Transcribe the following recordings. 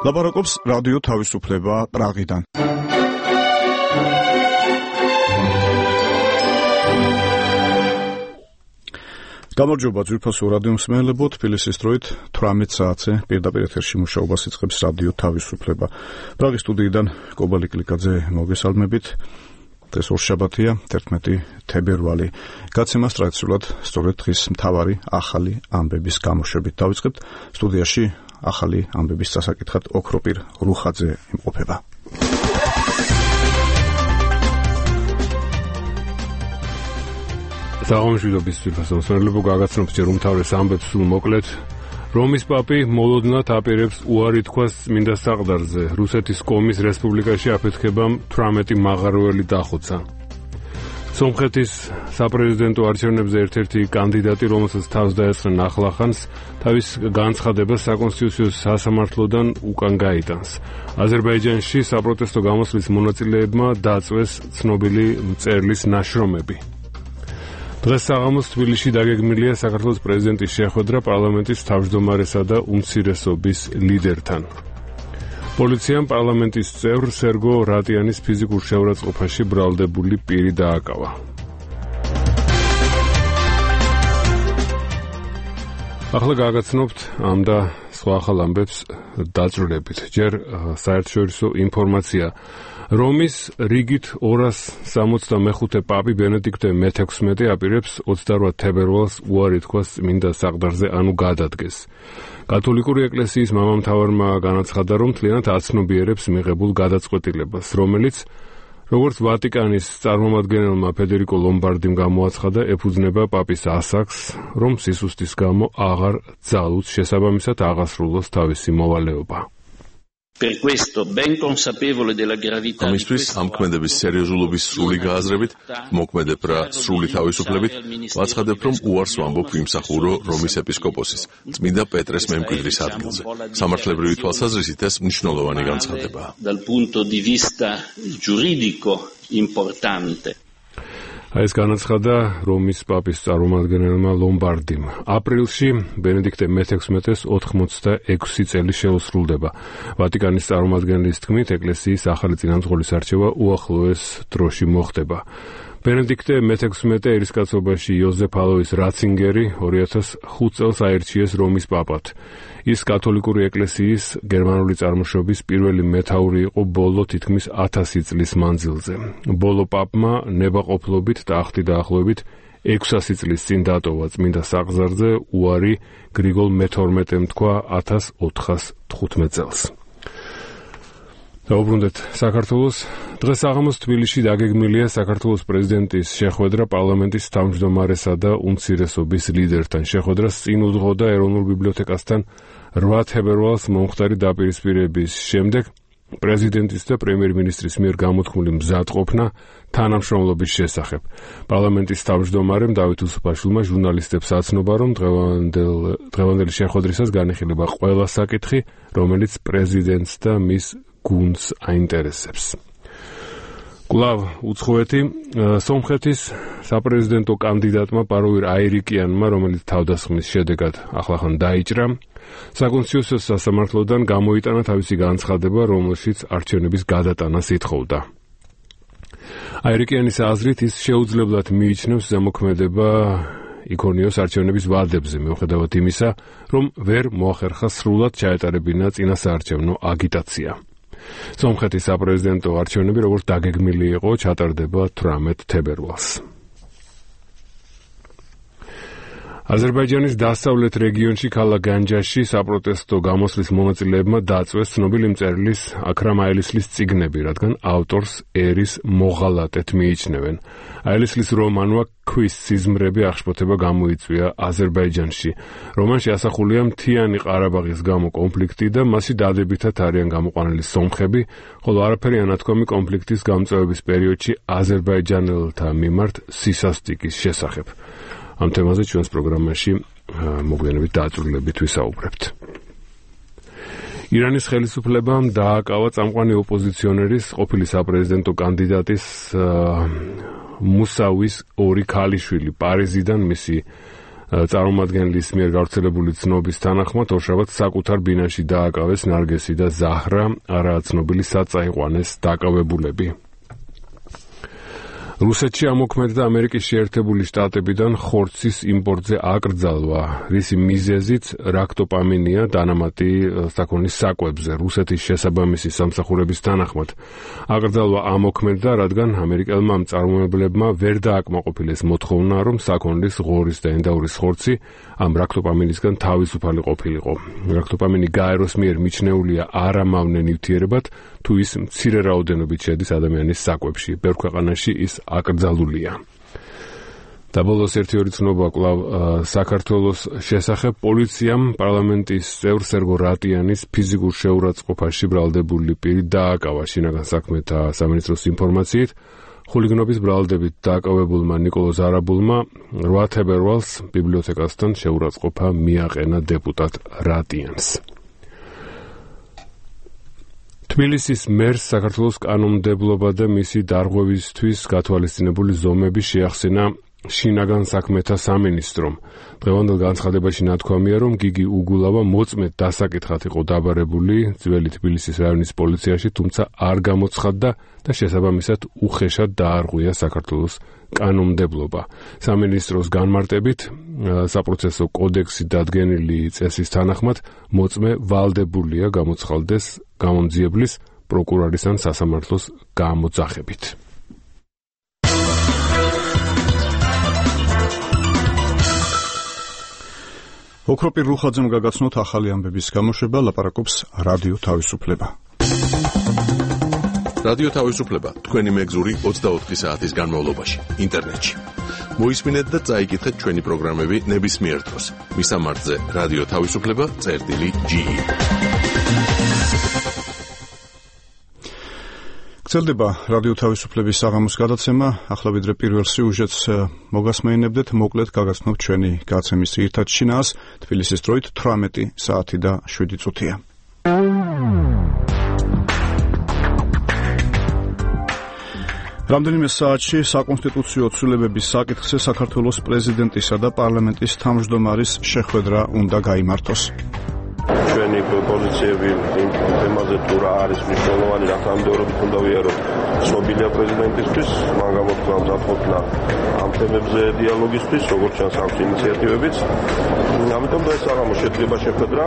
ლაპარაკობს რადიო თავისუფლება პრაღიდან. გამარჯობა ძვირფასო რადიო მსმენელებო, თბილისის დროით 18 საათზე პირდაპირ ეთერში მუშაობას იწყებს რადიო თავისუფლება. პრაღის სტუდიიდან კობალი კლიკაძე მოგესალმებით. დღეს ორშაბათია, 11 თებერვალი. გაცემას ტრადიციულად სწორედ დღის მთავარი ახალი ამბების გამოშვებით დავიწყებთ. სტუდიაში ახალი ამბების დასაკითხად ოქროპირ რუხაძე იმყოფება. საღამოშვილობის ძვირფასო მსმენელებო, გაგაცნობთ ჯერ უმთავრეს ამბებს სულ მოკლედ. რომის პაპი მოლოდნად აპირებს უარი თქვას წმინდა საყდარზე. რუსეთის კომის რესპუბლიკაში აფეთქებამ 18 მაღაროელი დახოცა. სომხეთის საპრეზიდენტო არჩევნებზე ერთ-ერთი კანდიდატი, რომელსაც თავს დაესხნენ ახლახანს, თავის განცხადებას საკონსტიტუციო სასამართლოდან უკან გაიტანს. აზერბაიჯანში საპროტესტო გამოსვლის მონაწილეებმა დაწვეს ცნობილი მწერლის ნაშრომები. დღეს საღამოს თბილისში დაგეგმილია საქართველოს პრეზიდენტის შეხვედრა პარლამენტის თავმჯდომარესა და უმცირესობის ლიდერთან. პოლიციამ პარლამენტის წევრ სერგო რატიანის ფიზიკურ შეურაცხყოფაში ბრალდებული პირი დააკავა. ახლა გაგაცნობთ ამ და სხვა ახალ ამბებს დაძვრებით. ჯერ საერთაშორისო ინფორმაცია. რომის რიგით 265 პაპი ბენედიქტე მე-16 აპირებს 28 თებერვალს უარი თქვას წმინდა საყდარზე, ანუ გადადგეს. კათოლიკური ეკლესიის მამამთავარმა განაცხადა, რომ მთლიანად აცნობიერებს მიღებულ გადაწყვეტილებას, რომელიც, როგორც ვატიკანის წარმომადგენელმა ფედერიკო ლომბარდიმ გამოაცხადა, ეფუძნება პაპის ასაკს, რომ სისუსტის გამო აღარ ძალუց, შესაბამისად აღასრულოს თავისი მოვალეობა. ამისთვის ამ ქმედების სერიოზულობის სრული გააზრებით, მოქმედებ რა სრული თავისუფლებით, ვაცხადებ, რომ უარს ვამბობ ვიმსახურო რომის ეპისკოპოსის, წმინდა პეტრეს მემკვიდრის ადგილზე. სამართლებრივი თვალსაზრისით ეს მნიშვნელოვანი განცხადებაა. ეს განაცხადა რომის პაპის წარმომადგენელმა ლომბარდიმ. აპრილში ბენედიქტე მე-16-ს 86 წელი შეუსრულდება. ვატიკანის წარმომადგენლის თქმით, ეკლესიის ახალი წინამძღოლის არჩევა უახლოეს დროში მოხდება. ბენედიქტე მე-16 ერისკაცობაში იოზეფ ალოის რაცინგერი 2005 წელს აირჩიეს რომის პაპად. ის კათოლიკური ეკლესიის გერმანული წარმოშობის პირველი მეთაური იყო ბოლო თითქმის 1000 წლის მანძილზე. ბოლო პაპმა ნებაყოფლობით ტახტი დაახლოებით 600 წლის წინ დატოვა წმინდა საყდარზე უარი გრიგოლ მე-12-მ თქვა 1415 წელს. დაუბრუნდეთ საქართველოს. დღეს საღამოს თბილისში დაგეგმილია საქართველოს პრეზიდენტის შეხვედრა პარლამენტის თავმჯდომარესა და უმცირესობის ლიდერთან. შეხვედრას წინ უძღოდა ეროვნულ ბიბლიოთეკასთან 8 თებერვალს მომხდარი დაპირისპირების შემდეგ პრეზიდენტის და პრემიერ-მინისტრის მიერ გამოთქმული მზადყოფნა თანამშრომლობის შესახებ. პარლამენტის თავმჯდომარემ დავით უსუფაშვილმა ჟურნალისტებს აცნობა, რომ დღევანდელი შეხვედრისას განიხილება ყველა საკითხი, რომელიც პრეზიდენტს და მის გუნდს აინტერესებს. კვლავ უცხოეთი. სომხეთის საპრეზიდენტო კანდიდატმა პაროვირ აირიკიანმა, რომელიც თავდასხმის შედეგად ახლახან დაიჭრა, საკონსტიტუციო სასამართლოდან გამოიტანა თავისი განცხადება, რომელშიც არჩევნების გადატანას ითხოვდა. აირიკიანის აზრით ის შეუძლებლად მიიჩნევს ზემოქმედება იქონიოს არჩევნების ვადებზე, მიუხედავად იმისა, რომ ვერ მოახერხა სრულად ჩაეტარებინა წინასაარჩევნო აგიტაცია. სომხეთის საპრეზიდენტო არჩევნები, როგორც დაგეგმილი იყო, ჩატარდება 18 თებერვალს. აზერბაიჯანის დასავლეთ რეგიონში ქალაქ განჯაში საპროტესტო გამოსვლის მონაწილეებმა დაწვეს ცნობილი მწერლის აქრამ აილისლის წიგნები, რადგან ავტორს ერის მოღალატედ მიიჩნევენ. აილისლის რომანმა ქვის სიზმრები აღშფოთება გამოიწვია აზერბაიჯანში. რომანში ასახულია მთიანი ყარაბაღის გამო კონფლიქტი და მასში დადებითად არიან გამოყვანილი სომხები, ხოლო არაფერი ანათქვამი კონფლიქტის გამწვევების პერიოდში აზერბაიჯანელთა მიმართ სისასტიკის შესახებ. ამ თემაზე ჩვენს პროგრამაში მოგვიანებით დაწვრილებით ვისაუბრებთ. ირანის ხელისუფლებამ დააკავა წამყვანი ოპოზიციონერის, ყოფილი საპრეზიდენტო კანდიდატის მუსავის ორი ქალიშვილი, პარიზიდან მისი წარმომადგენლის მიერ გავრცელებული ცნობის თანახმად ორშაბათს საკუთარ ბინაში დააკავეს ნარგესი და ზაჰრა, არაა ცნობილი სად წაიყვანეს დაკავებულები. რუსეთში ამოქმედდა ამერიკის შეერთებული შტატებიდან ხორცის იმპორტზე აკრძალვა, რისი მიზეზიც რაქტოპამინია დანამატი საქონლის საკვებზე. რუსეთის შესაბამისი სამსახურების თანახმად აკრძალვა ამოქმედდა, რადგან ამერიკელმა მწარმოებლებმა ვერ დააკმაყოფილეს მოთხოვნა, რომ საქონლის, ღორის და ენდაურის ხორცი ამ რაქტოპამინისგან თავისუფალი ყოფილიყო. რაქტოპამინი გაეროს მიერ მიჩნეულია არამავნე ნივთიერებად, თუ ის მცირე რაოდენობით შედის ადამიანის საკვებში. ბევრ ქვეყანაში ის აკრძალულია. და ბოლოს ერთი-ორი ცნობა კვლავ საქართველოს შესახებ. პოლიციამ პარლამენტის წევრ სერგო რატიანის ფიზიკურ შეურაცხყოფაში ბრალდებული პირი დააკავა. შინაგან საქმეთა სამინისტროს ინფორმაციით, ხულიგნობის ბრალდებით დააკავებულმა ნიკოლოზ არაბულმა 8 თებერვალს ბიბლიოთეკასთან შეურაცხყოფა მიაყენა დეპუტატ რატიანს. თბილისის მერს საქართველოს კანონმდებლობა და მისი დარღვევისთვის გათვალისწინებული ზომები შეახსენა შინაგან საქმეთა სამინისტრომ. დღევანდელ განცხადებაში ნათქვამია, რომ გიგი უგულავა მოწმედ დასაკითხად იყო დაბარებული ძველი თბილისის რაიონის პოლიციაში, თუმცა არ გამოცხადდა და შესაბამისად უხეშად დაარღვია საქართველოს კანონმდებლობა. სამინისტროს განმარტებით, საპროცესო კოდექსი დადგენილი წესის თანახმად მოწმე ვალდებულია გამოცხადდეს გამომძიებლის, პროკურორის ან სასამართლოს გამოძახებით. ოქროპირ რუხაძემ გაგაცნოთ ახალი ამბების გამოშვება, ლაპარაკობს რადიო თავისუფლება. რადიო თავისუფლება, თქვენი მეგზური 24 საათის განმავლობაში, ინტერნეტში. მოისმინეთ და წაიკითხეთ ჩვენი პროგრამები ნებისმიერ დროს. მისამართზე რადიო თავისუფლება.ge. გრძელდება რადიო თავისუფლების საღამოს გადაცემა. ახლა ვიდრე პირველ სიუჟეტს მოგასმენებდეთ, მოკლედ გაგაცნობთ ჩვენი გაცემის ძირითად შინაარს. თბილისის დროით 18 საათი და 7 წუთია. რამდენიმე საათში საკონსტიტუციო ცვლილებების საკითხზე საქართველოს პრეზიდენტისა და პარლამენტის თავმჯდომარის შეხვედრა უნდა გაიმართოს. ჩვენი პოზიციები იმ თემაზე თუ რა არის მნიშვნელოვანი, რა თანამდებობით უნდა ვიაროთ ცნობილია პრეზიდენტისთვის, მან გამოთქვა მზადყოფნა ამ თემებზე დიალოგისთვის, როგორც ჩანს აქვს ინიციატივებიც. ამიტომ და ეს საღამო შედგება შეხვედრა.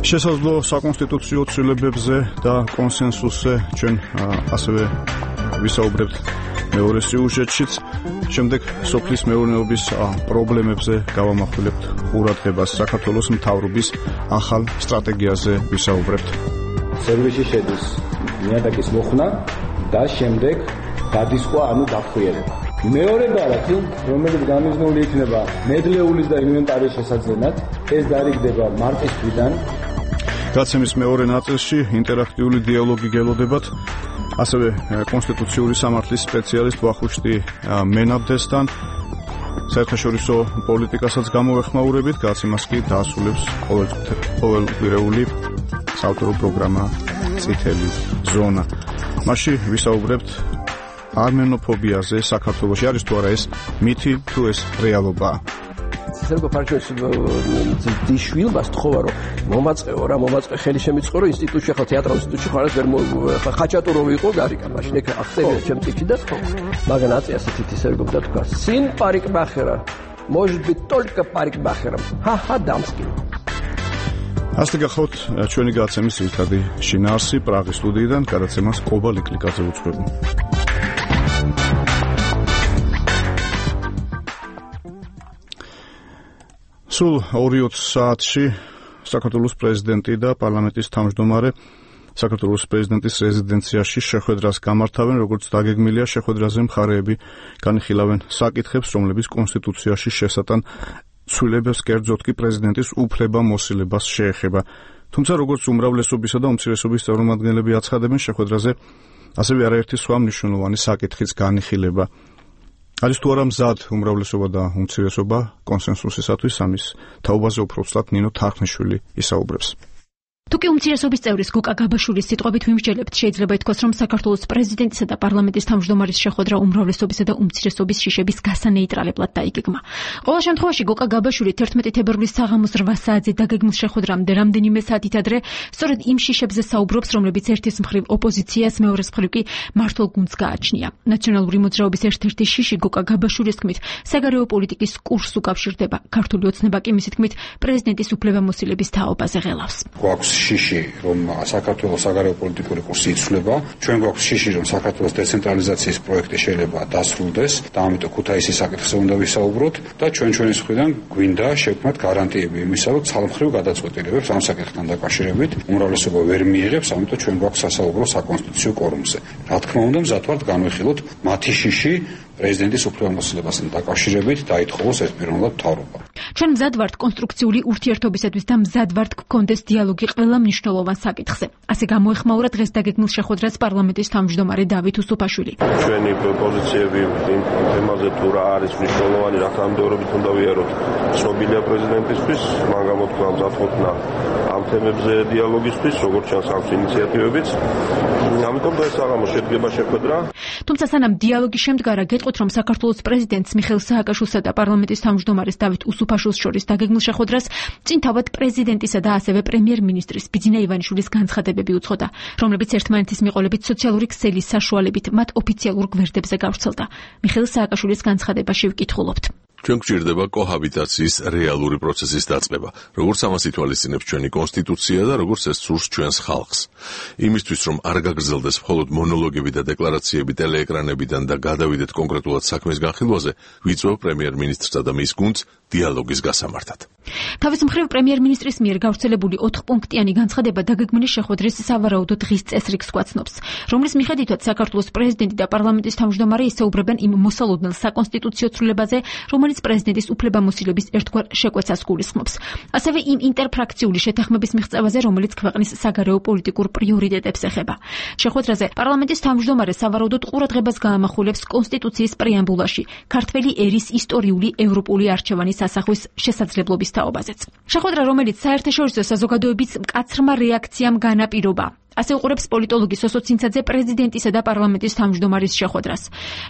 შესაძლო საკონსტიტუციო ცვლილებებზე და კონსენსუსზე ჩვენ ასევე ვისაუბრებთ მეორე სიუჟეტშიც. შემდეგ სოფლის მეურნეობის პრობლემებზე გავამახვილებთ ყურადღებას. საქართველოს მთავრობის ახალ სტრატეგიაზე ვისაუბრებთ. სერვისი შედის ნიადაგის მოხსნა და შემდეგ გადისხვა, ანუ დახვრიერება. მეორე ბარათი, რომელიც გამიზნული იქნება ნედლეულის და ინვენტარის შესაძენად, ეს დარიგდება მარტის თვიდან. გაცემის მეორე ნაწილში ინტერაქტიული დიალოგი გელოდებათ. ასევე კონსტიტუციური სამართლის სპეციალისტ ვახუშტი მენაბდესთან საერთაშორისო პოლიტიკასაც გამოვეხმაურებით. გაცემას კი დაასრულებს ყოველკვირეული საავტორო პროგრამა წითელი ზონა. მასში ვისაუბრებთ არმენოფობიაზე საქართველოში. არის თუ არა ეს მითი, თუ ეს რეალობაა. სერგო ფარჩევიჩი დიშვილმა სთხოვა, რომ მომაწყეო რა, მომაწყე ხელი შემიწყო, რომ ინსტიტუტში ხარ, თეატრალურ ინსტიტუტში ხარ, ეს ვერ ხაჭატუროვი იყო გარიკა, მაშინ ეგ ახსენე ჩემ წიჩი და მაგან აწია ასეთი სერგო და თქვა, სინ парикмахера, может быть только парикмахером. Ха-ха, дамский. ასე გახლავთ ჩვენი გაცემის ძირითადი შინაარსი პრაღის სტუდიიდან. გადაცემას კობა ლიკლიკაძე უძღვება. სულ 2 საათში საქართველოს პრეზიდენტი და პარლამენტის თავმჯდომარე საქართველოს პრეზიდენტის რეზიდენციაში შეხვედრას გამართავენ, როგორც დაგეგმილია. შეხვედრაზე მხარეები განიხილავენ საკითხებს, რომლებიც კონსტიტუციაში შესატან ცვლილებებს, კერძოდ კი პრეზიდენტის უფლება-მოსილებას შეეხება. თუმცა როგორც უმრავლესობისა და უმცირესობის წარმომადგენლები აცხადებენ, შეხვედრაზე ასევე არაერთი სხვა მნიშვნელოვანი საკითხიც განიხილება. არის თუ არა მზად უმრავლესობა და უმცირესობა კონსენსუსისათვის, ამის თაობაზე უფრო ვსწრაფ ნინო თარხნიშვილი ისაუბრებს. თუკი უმცირესობის წევრის გოკა გაბაშვილის სიტყვებით ვიმსჯელებთ, შეიძლება ითქვას, რომ საქართველოს პრეზიდენტისა და პარლამენტის თავმჯდომარის შეხვედრა უმრავლესობისა და უმცირესობის შიშების გასანეიტრალებლად დაიგეგმა. ყოველ შემთხვევაში გოკა გაბაშვილი 11 თებერვლის საღამოს 8 საათზე დაგეგმილ შეხვედრამდე რამდენიმე საათით ადრე სწორედ იმ შიშებზე საუბრობს, რომლებიც ერთის მხრივ ოპოზიციას, მეორეს მხრივ კი მართლ გუნდს გააჩნია. ნაციონალური მოძრაობის ერთ-ერთი შიში გოკა გაბაშვილის თქმით, საგარეო პოლიტიკის კურსს უკავშირდება. ქართული ოცნება კი მისი თქმით, პრეზიდენტის უფლებამოსილების თაობაზე ღელავს. შიში, რომ საქართველოს საგარეო პოლიტიკური კურსი იცვლება, ჩვენ გვაქვს შიში, რომ საქართველოს დეცენტრალიზაციის პროექტი შეიძლება დასრულდეს და ამიტომ ქუთაისის საკითხზე უნდა ვისაუბროთ და ჩვენი მხრიდან გვინდა შევქმნათ გარანტიები იმისა, რომ ცალმხრივ გადაწყვეტილებებს ამ საკითხთან დაკავშირებით უმრავლესობა ვერ მიიღებს, ამიტომ ჩვენ გვაქვს სასაუბრო საკონსტიტუციო კორუმზე. რა თქმა უნდა, მზად ვართ განვიხილოთ მათი შიში პრეზიდენტის უფლებამოსილებასთან დაკავშირებით დაითხოვოს ეს პიროვნულად მთავრობა. ჩვენ მზად ვართ კონსტრუქციული ურთიერთობისათვის და მზად ვართ გქონდეს დიალოგი ყველა მნიშვნელოვან საკითხზე. ასე გამოეხმაურა დღეს დაგეგმილ შეხვედრას პარლამენტის თავმჯდომარე დავით უსუფაშვილი. ჩვენი პოზიციები იმ თემაზე თუ რა არის მნიშვნელოვანი, რა თანამდებობით უნდა ვიაროთ ცნობილია პრეზიდენტისთვის, მან გამოთქვა მზადყოფნა ამ თემებზე დიალოგისთვის, როგორც ჩანს აქვს ინიციატივებიც. ამიტომ დღეს საღამოს შედგება შეხვედრა. თუმცა სანამ დიალოგი შემდგარა, გეტყვით, რომ საქართველოს პრეზიდენტს მიხეილ სააკაშვილსა და პარლამენტის თავმჯდომარეს დავით უსუფაშვილს შორის დაგეგმილ შეხვედრას წინ თავად პრეზიდენტისა და ასევე პრემიერ-მინისტრის ბიძინა ივანიშვილის განცხადებები უძღოდა, რომლებიც ერთმანეთის მიყოლებით სოციალური ქსელის საშუალებით მათ ოფიციალურ გვერდებზე გავრცელდა. მიხეილ სააკაშვილის განცხადებაში ვკითხულობთ. ჩვენ გვჭირდება კოჰაბიტაციის რეალური პროცესის დაწყება, როგორც ამას ითვალისწინებს ჩვენი კონსტიტუცია და როგორც ეს სურს ჩვენს ხალხს. იმისთვის, რომ არ გაგრძელდეს მხოლოდ მონოლოგები და დეკლარაციები ტელეეკრანებიდან და გადავიდეთ კონკრეტულად საქმის განხილვაზე, ვიწვევ პრემიერ-მინისტრსა და მის გუნდს დიალოგის გასამართად. თავის მხრივ პრემიერ-მინისტრის მიერ გავრცელებული 4-პუნქტიანი განცხადება დაგეგმილი შეხვედრის სავარაუდო დღის წესრიგს გვაცნობს, რომლის მიხედვითაც საქართველოს პრეზიდენტი და პარლამენტის თავმჯდომარე ისაუბრებენ იმ მოსალოდნელ საკონსტიტუციო ცვლილებაზე, რომელიც პრეზიდენტის უფლებამოსილების ერთგვარ შეკვეცას გულისხმობს. ასევე იმ ინტერფრაქციული შეთანხმების მიღწევაზე, რომელიც ქვეყნის საგარეო პოლიტიკურ პრიორიტეტებს ეხება. შეხვედრაზე პარლამენტის თავმჯდომარე სავარაუდოდ ყურადღებას გაამახვილებს კონსტიტუციის პრეამბულაში ქართველი ერის ისტორიული ევროპული არჩევანის ასახვის შესაძლებლობის თაობაზეც. შეხვედრა, რომელიც საერთაშორისო საზოგადოების მკაცრმა რეაქციამ განაპირობა. ასე უყურებს პოლიტოლოგი სოსო ცინცაძე პრეზიდენტისა და პარლამენტის თავმჯდომარის შეხვედრას.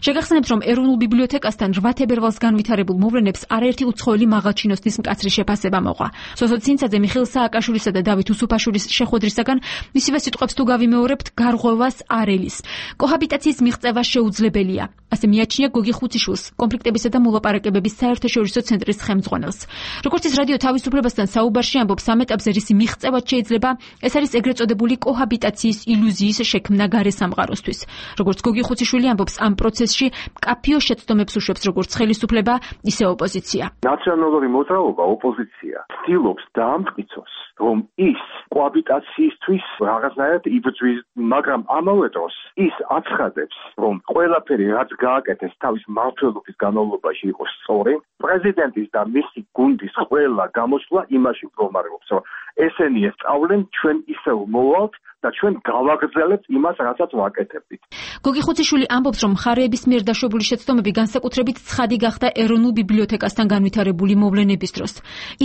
შეგახსენებთ, რომ ეროვნულ ბიბლიოთეკასთან 8 თებერვალს განვითარებულ მოვლენებს არაერთი უცხოელი მაღალჩინოსნის მკაცრი შეფასება მოყვა. სოსო ცინცაძე მიხეილ სააკაშვილისა და დავით უსუფაშვილის შეხვედრისაგან მისივე სიტყვებს თუ გავიმეორებთ, გარღვევას არ ელის. კოჰაბიტაციის მიღწევა შეუძლებელია. ასე მიაჩნია გოგი ხუციშვილს, კონფლიქტებისა და მოლაპარაკებების საერთაშორისო ცენტრის ხელმძღვანელს. როგორც ის რადიო თავისუფლებასთან საუბარში ამბობს, ამ ეტაპზე რის მიღწევაც შეიძლება, ეს არის ეგრეთ წოდებული კოჰაბიტაციის ილუზიის შექმნა გარე სამყაროსთვის. როგორც გოგი ხუციშვილი ამბობს, ამ პროცესში მკაფიო შეცდომებს უშვებს როგორც ხელისუფლება, ისე ოპოზიცია. ნაციონალური მოძრაობა ოპოზიცია ცდილობს დაამტკიცოს, რომ ის კოჰაბიტაციისთვის რაღაცნაირად იბრძვის, მაგრამ ამავე დროს ის აცხადებს, რომ ყველაფერი რაც გააკეთეს თავის მმართველობის განმავლობაში იყოს სწორი. პრეზიდენტის და მისი გუნდის ყველა გამოსვლა იმაში მდგომარეობს, რომ ესენი ესწავლენ, ჩვენ ისევ მოვალთ და ჩვენ გავაგრძელებთ იმას, რასაც ვაკეთებდით. გოგი ხუციშვილი ამბობს, რომ მხარეების მიერ დაშვებული შეცდომები განსაკუთრებით ცხადი გახდა ეროვნულ ბიბლიოთეკასთან განვითარებული მოვლენების დროს.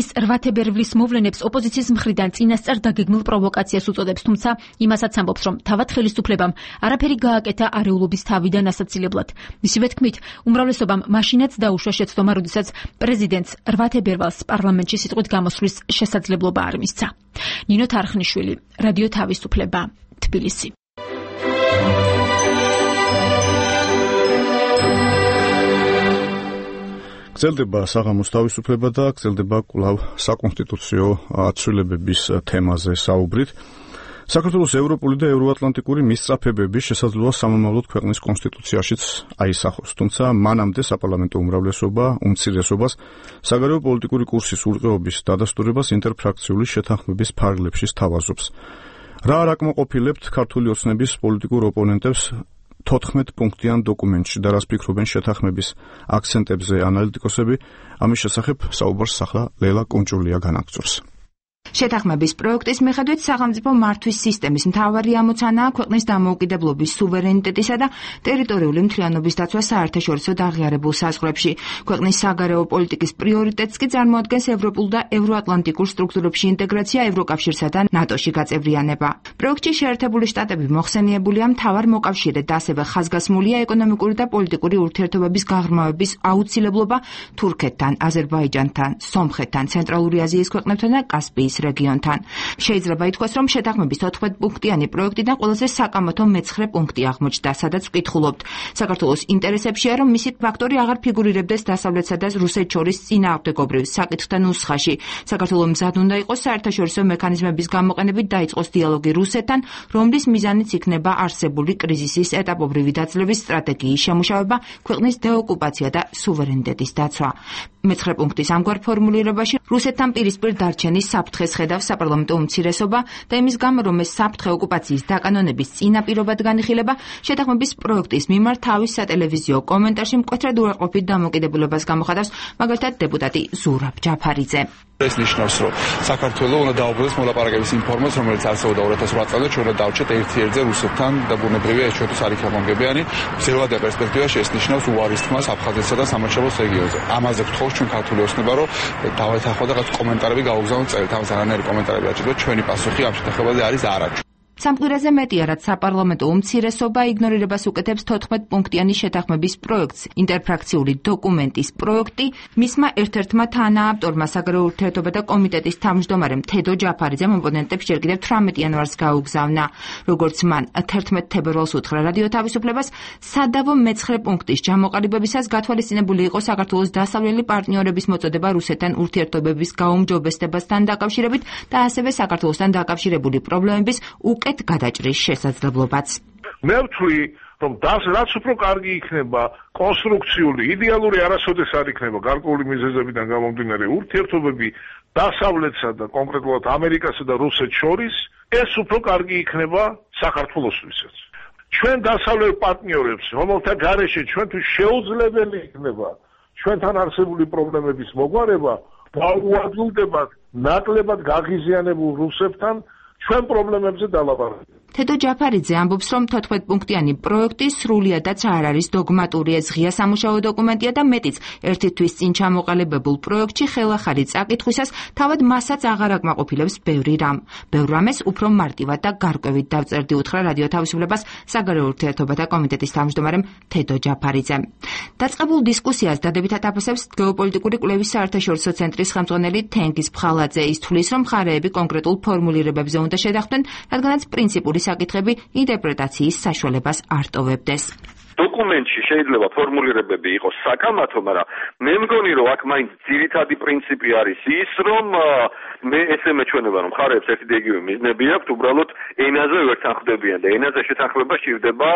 ის 8 თებერვლის მოვლენებს ოპოზიციის მხრიდან წინასწარ დაგეგმილ პროვოკაციას უწოდებს, თუმცა იმასაც ამბობს, რომ თავად ხელისუფლებამ არაფერი გააკეთა არეულობის თავიდან ასაცილებლად. მისივე თქმით, უმრავლესობამ მაშინაც დაუშვა შეცდომა, როდესაც პრეზიდენტს 8 თებერვალს პარლამენტში სიტყვით გამოსვლის შესაძლებლობა არ მისცა. ნინო თარხნიშვილი, რადიო თავისუფლება, თბილისი. გრძელდება საღამოს თავისუფლება და გრძელდება კვლავ საკონსტიტუციო ცვლილებების თემაზე საუბრით. საქართველოს ევროპული და ევროატლანტიკური მისწრაფებების შესაძლოა სამომავლოდ ქვეყნის კონსტიტუციაშიც აისახოს, თუმცა მანამდე საპარლამენტო უმრავლესობა უმცირესობას საგარეო პოლიტიკური კურსის ურყეობის დადასტურებას ინტერფრაქციული შეთანხმების ფარგლებში სთავაზობს. რა არ აკმაყოფილებთ ქართული ოცნების პოლიტიკურ ოპონენტებს 14 პუნქტიან დოკუმენტში და რას ფიქრობენ შეთანხმების აქცენტებზე ანალიტიკოსები, ამის შესახებ საუბარს ახლა ლელა კონჭულია განაგრძობს. შეთანხმების პროექტის მიხედვით სახელმწიფო მართვის სისტემის მთავარი ამოცანაა ქვეყნის დამოუკიდებლობის, სუვერენიტეტისა და ტერიტორიული მთლიანობის დაცვა საერთაშორისო აღიარებულ საზღვრებში. ქვეყნის საგარეო პოლიტიკის პრიორიტეტს კი წარმოადგენს ევროპულ და ევროატლანტიკურ სტრუქტურებში ინტეგრაცია, ევროკავშირსა და ნატოში გაწევრიანება. პროექტში შეერთებული შტატები მოხსენიებულია მთავარ მოკავშირედ, ასევე ხაზგასმულია ეკონომიკური და პოლიტიკური ურთიერთობების გაღრმავების აუცილებლობა თურქეთთან, აზერბაიჯანთან, სომხეთთან, ცენტრალური აზიის ქვეყნებთან და კასპიის რეგიონთან. შეიძლება ითქვას, რომ შეთანხმების 14 პუნქტიანი პროექტიდან ყველაზე საკამათო მე-9 პუნქტი აღმოჩნდა, სადაც ვკითხულობთ. საქართველოს ინტერესებშია, რომ მისი ფაქტორი აღარ ფიგურირებდეს დასავლეთსა და რუსეთს შორის წინააღმდეგობრივ საკითხთა ნუსხაში. საქართველოს მზად უნდა იყოს საერთაშორისო მექანიზმების გამოყენებით დაიწყოს დიალოგი რუსეთთან, რომლის მიზანიც იქნება არსებული კრიზისის ეტაპობრივი დაძლევის სტრატეგიის შემუშავება, ქვეყნის დეოკუპაცია და სუვერენიტეტის დაცვა. მე-9 პუნქტის ამგვარ ფორმულირებაში რუსეთთან პირისპირ დარჩენის საფრთხეს ხედავს საპარლამენტო უმცირესობა და იმის გამო, რომ ეს საფრთხე ოკუპაციის დაკანონების წინაპირობად განიხილება, შეთანხმების პროექტის მიმართ თავის სატელევიზიო კომენტარში მკვეთრად უარყოფით დამოკიდებულებას გამოხატავს მაგალითად დეპუტატი ზურაბ ჯაფარიძე. ეს ნიშნავს, რომ საქართველოს უნდა დაუბრუნდეს მოლაპარაკების იმ ფორმას, რომელიც არსებობდა 2008 წელს, ჩვენ უნდა დავჭეთ ერთ-ერთზე რუსეთთან და ბუნებრივია ეს ჩვენთვის არ იქნება მომგებიანი. მძევადია პერსპექტივაში ეს ნიშნავს უარის თმას აფხაზეთსა და სამარშალოს რეგიონზე. ამაზე გთხოვს ჩვენ ქართული ოცნება, რომ დავეთანხმოთ და რაღაც კომენტარები გავუგზავნოთ წერით. ამას არანაირი კომენტარები არ ჭირდება. ჩვენი პასუხი ამ შეთანხმებაზე არის არა. სამკვირაზე მეტია, რაც საპარლამენტო უმცირესობა იგნორირებას უკეთებს 14 პუნქტიანი შეთანხმების პროექტს. ინტერფრაქციული დოკუმენტის პროექტი მისმა ერთ-ერთმა თანაავტორმა საგარეო ურთიერთობათა კომიტეტის თავმჯდომარემ თედო ჯაფარიძემ ოპონენტებს ჯერ კიდევ 18 იანვარს გაუგზავნა. როგორც მან 11 თებერვალს უთხრა რადიო თავისუფლებას, სადავო მე-9 პუნქტის ჩამოყალიბებისას გათვალისწინებული იყო საქართველოს დასავლელი პარტნიორების მოწოდება რუსეთთან ურთიერთობების გაუმჯობესებასთან დაკავშირებით და ასევე საქართველოსთან დაკავშირებული პრობლემების უკეთ გადაჭრის შესაძლებლობაც. მე ვთვლი, რომ რაც უფრო კარგი იქნება კონსტრუქციული, იდეალური არასოდეს არ იქნება გარკვეული მიზეზებიდან გამომდინარე ურთიერთობები დასავლეთსა და კონკრეტულად ამერიკასა და რუსეთს შორის, ეს უფრო კარგი იქნება საქართველოსთვისაც. ჩვენ დასავლელ პარტნიორებს, რომელთა გარეშე ჩვენთვის შეუძლებელი იქნება ჩვენთან არსებული პრობლემების მოგვარება, დაუადვილდებათ ნაკლებად გაღიზიანებულ რუსებთან ჩვენ პრობლემებზე დალაპარაკებთ. თედო ჯაფარიძე ამბობს, რომ 14 პუნქტიანი პროექტი სრულიადაც არ არის დოგმატური, ეს ღია სამუშაო დოკუმენტია და მეტიც ერთი თვის წინ ჩამოყალიბებულ პროექტში ხელახალი წაკითხვისას თავად მასაც აღარ აკმაყოფილებს ბევრი რამ. ბევრ რამეს უფრო მარტივად და გარკვევით დავწერდი, უთხრა რადიო თავისუფლებას საგარეო ურთიერთობათა კომიტეტის თავმჯდომარემ თედო ჯაფარიძემ. დაწყებულ დისკუსიას დადებითად აფასებს გეოპოლიტიკური კვლევის საერთაშორისო ცენტრის ხელმძღვანელი თენგიზ ფხალაძე. ის თვლის, რომ მხარეები კონკრეტულ ფორმულირებებზე უნდა შედახდნენ, რადგანაც პრინციპური საკითხები ინტერპრეტაციის საშუალებას არ ტოვებდეს. დოკუმენტში შეიძლება ფორმულირებები იყოს საკამათო, მაგრამ მე მგონი, რომ აქ მაინც ძირითადი პრინციპი არის ის, რომ მე ესე მეჩვენება, რომ მხარეებს ერთი და იგივე მიზნები აქვთ, უბრალოდ ენაზე ვერ თანხმდებიან და ენაზე შეთანხმება სჭირდება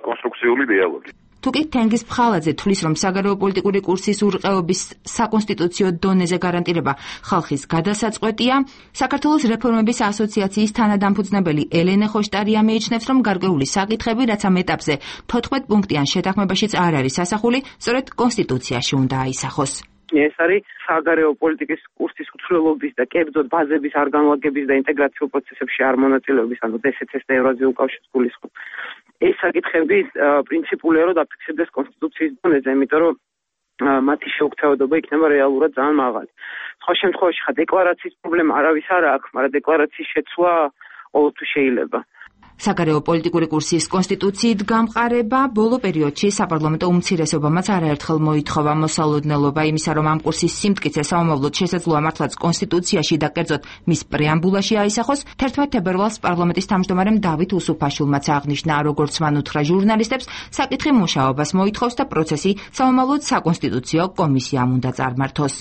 კონსტრუქციული დიალოგი. თუკი თენგიზ ფხალაძე თვლის, რომ საგარეო პოლიტიკური კურსის ურყეობის საკონსტიტუციო დონეზე გარანტირება ხალხის გადასაწყვეტია, საქართველოს რეფორმების ასოციაციის თანადამფუძნებელი ელენე ხოშტარია მიიჩნევს, რომ გარკვეული საკითხები, რაც ამ ეტაპზე 14 პუნქტიან შეთანხმებაშიც არ არის ასახული, სწორედ კონსტიტუციაში უნდა აისახოს. ეს არის საგარეო პოლიტიკის კურსის უცვლელობის და კერძოდ ბაზების არ განლაგების და ინტეგრაციულ პროცესებში არ მონაწილეობის, ანუ DSCC და ევრაზიულ კავშირს გულისხმობ. ეს საკითხები პრინციპულია, რომ დაფიქსირდეს კონსტიტუციის დონეზე, იმიტომ რომ მათი შეუქცევადობა იქნება რეალურად ძალიან მაღალი. სხვა შემთხვევაში ხა დეკლარაციის პრობლემა არავის არ აქვს, მაგრამ დეკლარაციის შეცვლა ყოველთვის შეიძლება. საგარეო პოლიტიკური კურსის კონსტიტუციით გამყარება ბოლო პერიოდში საპარლამენტო უმცირესობამაც არაერთხელ მოითხოვა მოსალოდნელობა იმისა, რომ ამ კურსის სიმტკიცე საომავლოდ შესაძლოა მართლაც კონსტიტუციაში და კერძოდ მის პრეამბულაში აისახოს. 11 თებერვალს პარლამენტის თავმჯდომარემ დავით უსუფაშვილმაც აღნიშნა, როგორც მან უთხრა ჟურნალისტებს, საკითხი მუშაობას მოითხოვს და პროცესი საომავლოდ საკონსტიტუციო კომისიამ უნდა წარმართოს.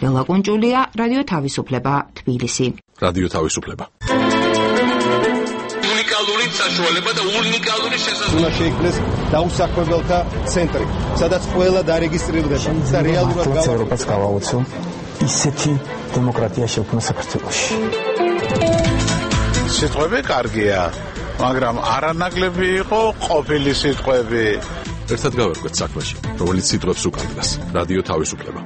ლელა კუნჭულია, რადიო თავისუფლება, თბილისი. რადიო თავისუფლება. საშუალება და უნიკალური შესაძლებლობა. უნდა შეიქმნეს დაუსაქმებელთა ცენტრი, სადაც ყველა დარეგისტრირდება და რეალურად ევროპას გავაუწევ ისეთი დემოკრატია შექმნა საქართველოში. სიტყვები კარგია, მაგრამ არანაკლები იყო ყოფილი სიტყვები. ერთად გავერკვეთ საქმეში, რომელიც სიტყვებს უკავშირდება. რადიო თავისუფლება.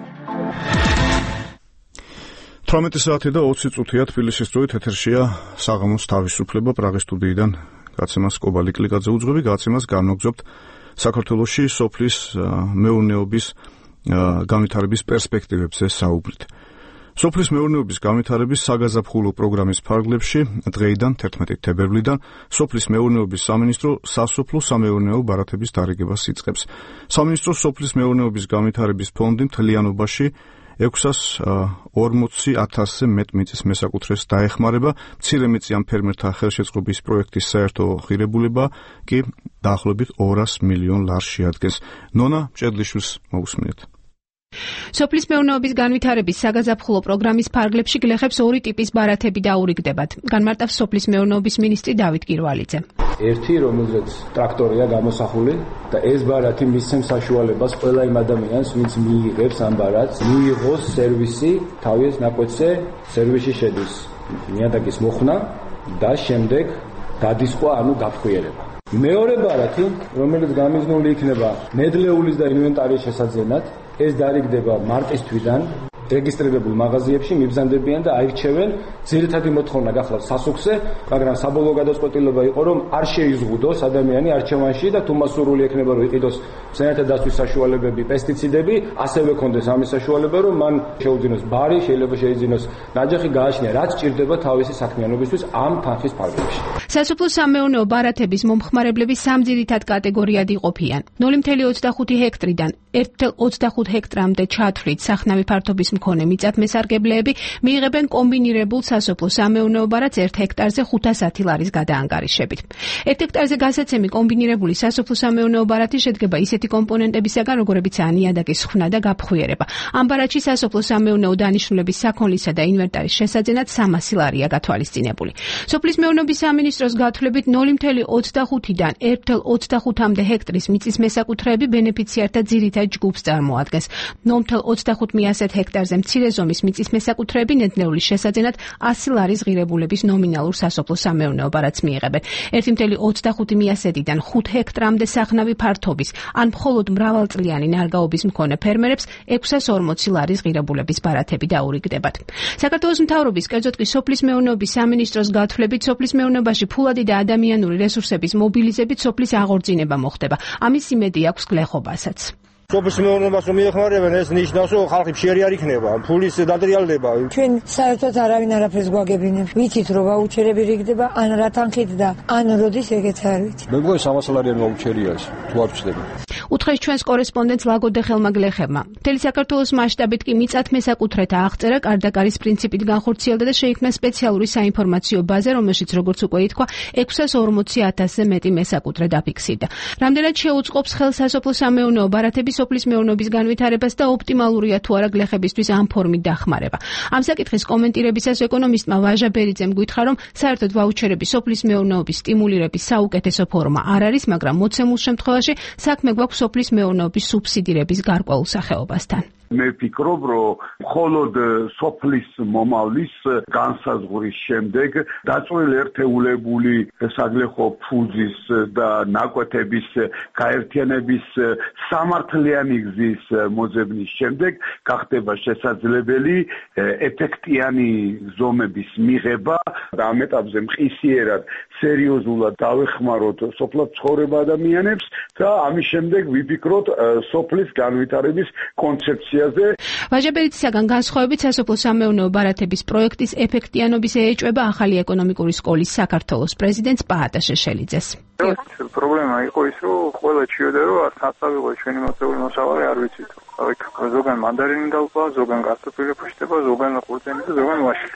18 საათი და 20 წუთია თბილისის დროით ეთერშია საღამოს თავისუფლება პრაღის სტუდიიდან გაცემას კობალი კლიკაძე უძღვები გაცემას განვაგრძობთ საქართველოში სოფლის მეურნეობის განვითარების პერსპექტივებზე საუბრით. სოფლის მეურნეობის განვითარების საგაზაფხულო პროგრამის ფარგლებში დღეიდან 11 თებერვლიდან სოფლის მეურნეობის სამინისტრო სასოფლო-სამეურნეო ბარათების დარიგებას იწყებს. სამინისტრო სოფლის მეურნეობის განვითარების ფონდი მთლიანობაში 640,000-ზე მეტ მიწის მესაკუთრეს დაეხმარება. მცირემიწიან ფერმერთა ხელშეწყობის პროექტის საერთო ღირებულება კი დაახლოებით 200 მილიონ ლარს შეადგენს. ნონა მჭედლიშვილს მოусმინეთ. სოფლის მეურნეობის განვითარების საგაზაფხულო პროგრამის ფარგლებში გლეხებს ორი ტიპის ბარათები დაურიგდებათ. განმარტავს სოფლის მეურნეობის მინისტრი დავით კირვალიძე. ერთი, რომელზეც ტრაქტორია გამოსახული და ეს ბარათი მისცემს საშუალებას ყველა იმ ადამიანს, ვინც მიიღებს ამ ბარათს, მიიღოს სერვისი, თავის ნაკვეთზე სერვისი შედის ნიადაგის მოხსნა და შემდეგ დადისყვა, ანუ გაფხვიერება. მეორე ბარათი, რომელიც გამიზნული იქნება ნედლეულის და ინვენტარის შესაძენად, ეს დარიგდება მარტის თვიდან რეგისტრირებულ მაღაზიებში მიბრძანდებიან და აირჩევენ. ძირითადი მოთხოვნა გახლავთ სასუქზე, მაგრამ საბოლოო გადაწყვეტილება იყო, რომ არ შეიზღუდოს ადამიანი არჩევანში და თუ მასურული ექნება, რომ იყიდოს სანათა დაცვის საშუალებები, პესტიციდები, ასევე კონდეს ამის საშუალება, რომ მან შეუძინოს ბარი, შეიძლება შეიძინოს ნაჯახი, გააჩნია რაც ჭირდება თავისი საქმიანობისთვის ამ თანხის ფარგლებში. სასოფლო-სამეურნეო ბარათების მომხმარებლები სამ ძირითად კატეგორიად იყოფიან. 0.25 ჰექტრიდან 1.25 ჰექტრამდე ჩათვლით სახნავი ფართობის მქონე მიწათმესარგებლეები მიიღებენ კომბინირებულ სასოფლო-სამეურნეო ბარათს 1 ჰექტარზე 510 ლარის გადაანგარიშებით. 1 ჰექტარზე გასაცემი კომბინირებული სასოფლო-სამეურნეო ბარათი შედგება ისეთი კომპონენტებისაგან, როგორებიცაა ნიადაგის ხსნა და გაფხვიერება. ამ ბარათში სასოფლო-სამეურნეო დანიშნულების საქონლისა და ინვენტარის შესაძენად 300 ლარია გათვალისწინებული. სოფლის მეურნეობის სამინისტროს გათვლებით 0.25-დან 1.25-მდე ჰექტრის მიწის მესაკუთრეები ბენეფიციართა ძირითად ჯგუფს წარმოადგენს. 0.25 ჰექტარზე მცირე ზომის მიწის მესაკუთრეები ნედლეულის შესაძენად 100 ლარის ღირებულების ნომინალურ სასოფლო-სამეურნეო ბარათს მიიღებენ. 1.25-დან 5 ჰექტრამდე სახნავი ფართობის ან მხოლოდ მრავალწლიანი ნარგაობის მქონე ფერმერებს 640 ლარის ღირებულების ბარათები დაურიგდებათ. საქართველოს მთავრობის, კერძოდ კი სოფლის მეურნეობის სამინისტროს გათვლებით სოფლის მეურნეობაში ფულადი და ადამიანური რესურსების მობილიზებით სოფლის აღორძინება მოხდება. ამის იმედი აქვს გლეხობასაც. სოფლის მეურნეობას რომ მიეხმარებენ, ეს ნიშნავს, რომ ხალხი მშიერი არ იქნება, ფულის დატრიალდება. ჩვენ საერთოდ არავინ არაფერს გვაგებინებს. ვიცით რომ ვაუჩერები რიგდება, ან რა თანხით და ან როდის ეგეც არ ვიცით. მე მგონი 300 ლარიანი ვაუჩერია ეს, თუ არ ვჩნდება. უთხრეს ჩვენს კორესპონდენტს ლაგოდეხელმა გლეხებმა. მთელი საქართველოს მასშტაბით კი მიწათმესაკუთრეთა აღწერა კარდაკარის პრინციპით განხორციელდა და შეიქმნა სპეციალური საინფორმაციო ბაზა, რომელშიც როგორც უკვე ითქვა, 640,000-ზე მეტი მესაკუთრე დაფიქსირდა. რამდენად შეუწყობს ხელს სასოფლო-სამეურნეო ბარათების სოფლის მეურნეობის განვითარებას და ოპტიმალურია თუ არა გლეხებისთვის ამ ფორმით დახმარება. ამ საკითხის კომენტირებისას ეკონომისტმა ვაჟა ბერიძემ გითხრა, რომ საერთოდ ვაუჩერები სოფლის მეურნეობის სტიმულირების საუკეთესო ფორმა არ არის, მაგრამ მოცემულ შემთხვევაში საქმე გვაქვს სოფლის მეურნეობის სუბსიდირების გარკვეულ სახეობასთან. მე ვფიქრობ, რომ მხოლოდ სოფლის მომავლის განსაზღვრის შემდეგ დაწვრილი ერთეულებული საგლეხო ფუძის და ნაკვეთების გაერთიანების სამართლიანი გზის მოძებნის შემდეგ გახდება შესაძლებელი ეფექტიანი ზომების მიღება და ამ ეტაპზე მყისიერად სერიოზულად დავეხმაროთ სოფლად ცხოვრება ადამიანებს და ამის შემდეგ ვიფიქროთ სოფლის განვითარების კონცეფცია. ვაჟაბერიცისაგან განსხვავებით სასოფლო-სამეურნეო ბარათების პროექტის ეფექტიანობის ეეჭვება ახალი ეკონომიკური სკოლის საქართველოს პრეზიდენტს პაატა შეშელიძეს. პრობლემა იყო ის, რომ ყველა ჩიოდა, რომ საწავიღო ჩვენი მოწეული მოსავალი არ ვიცით. ზოგან მანდარინი დალყვა, ზოგან კარტოფილი ფუშტება, ზოგან ყურძენი და ზოგან ვაშლი.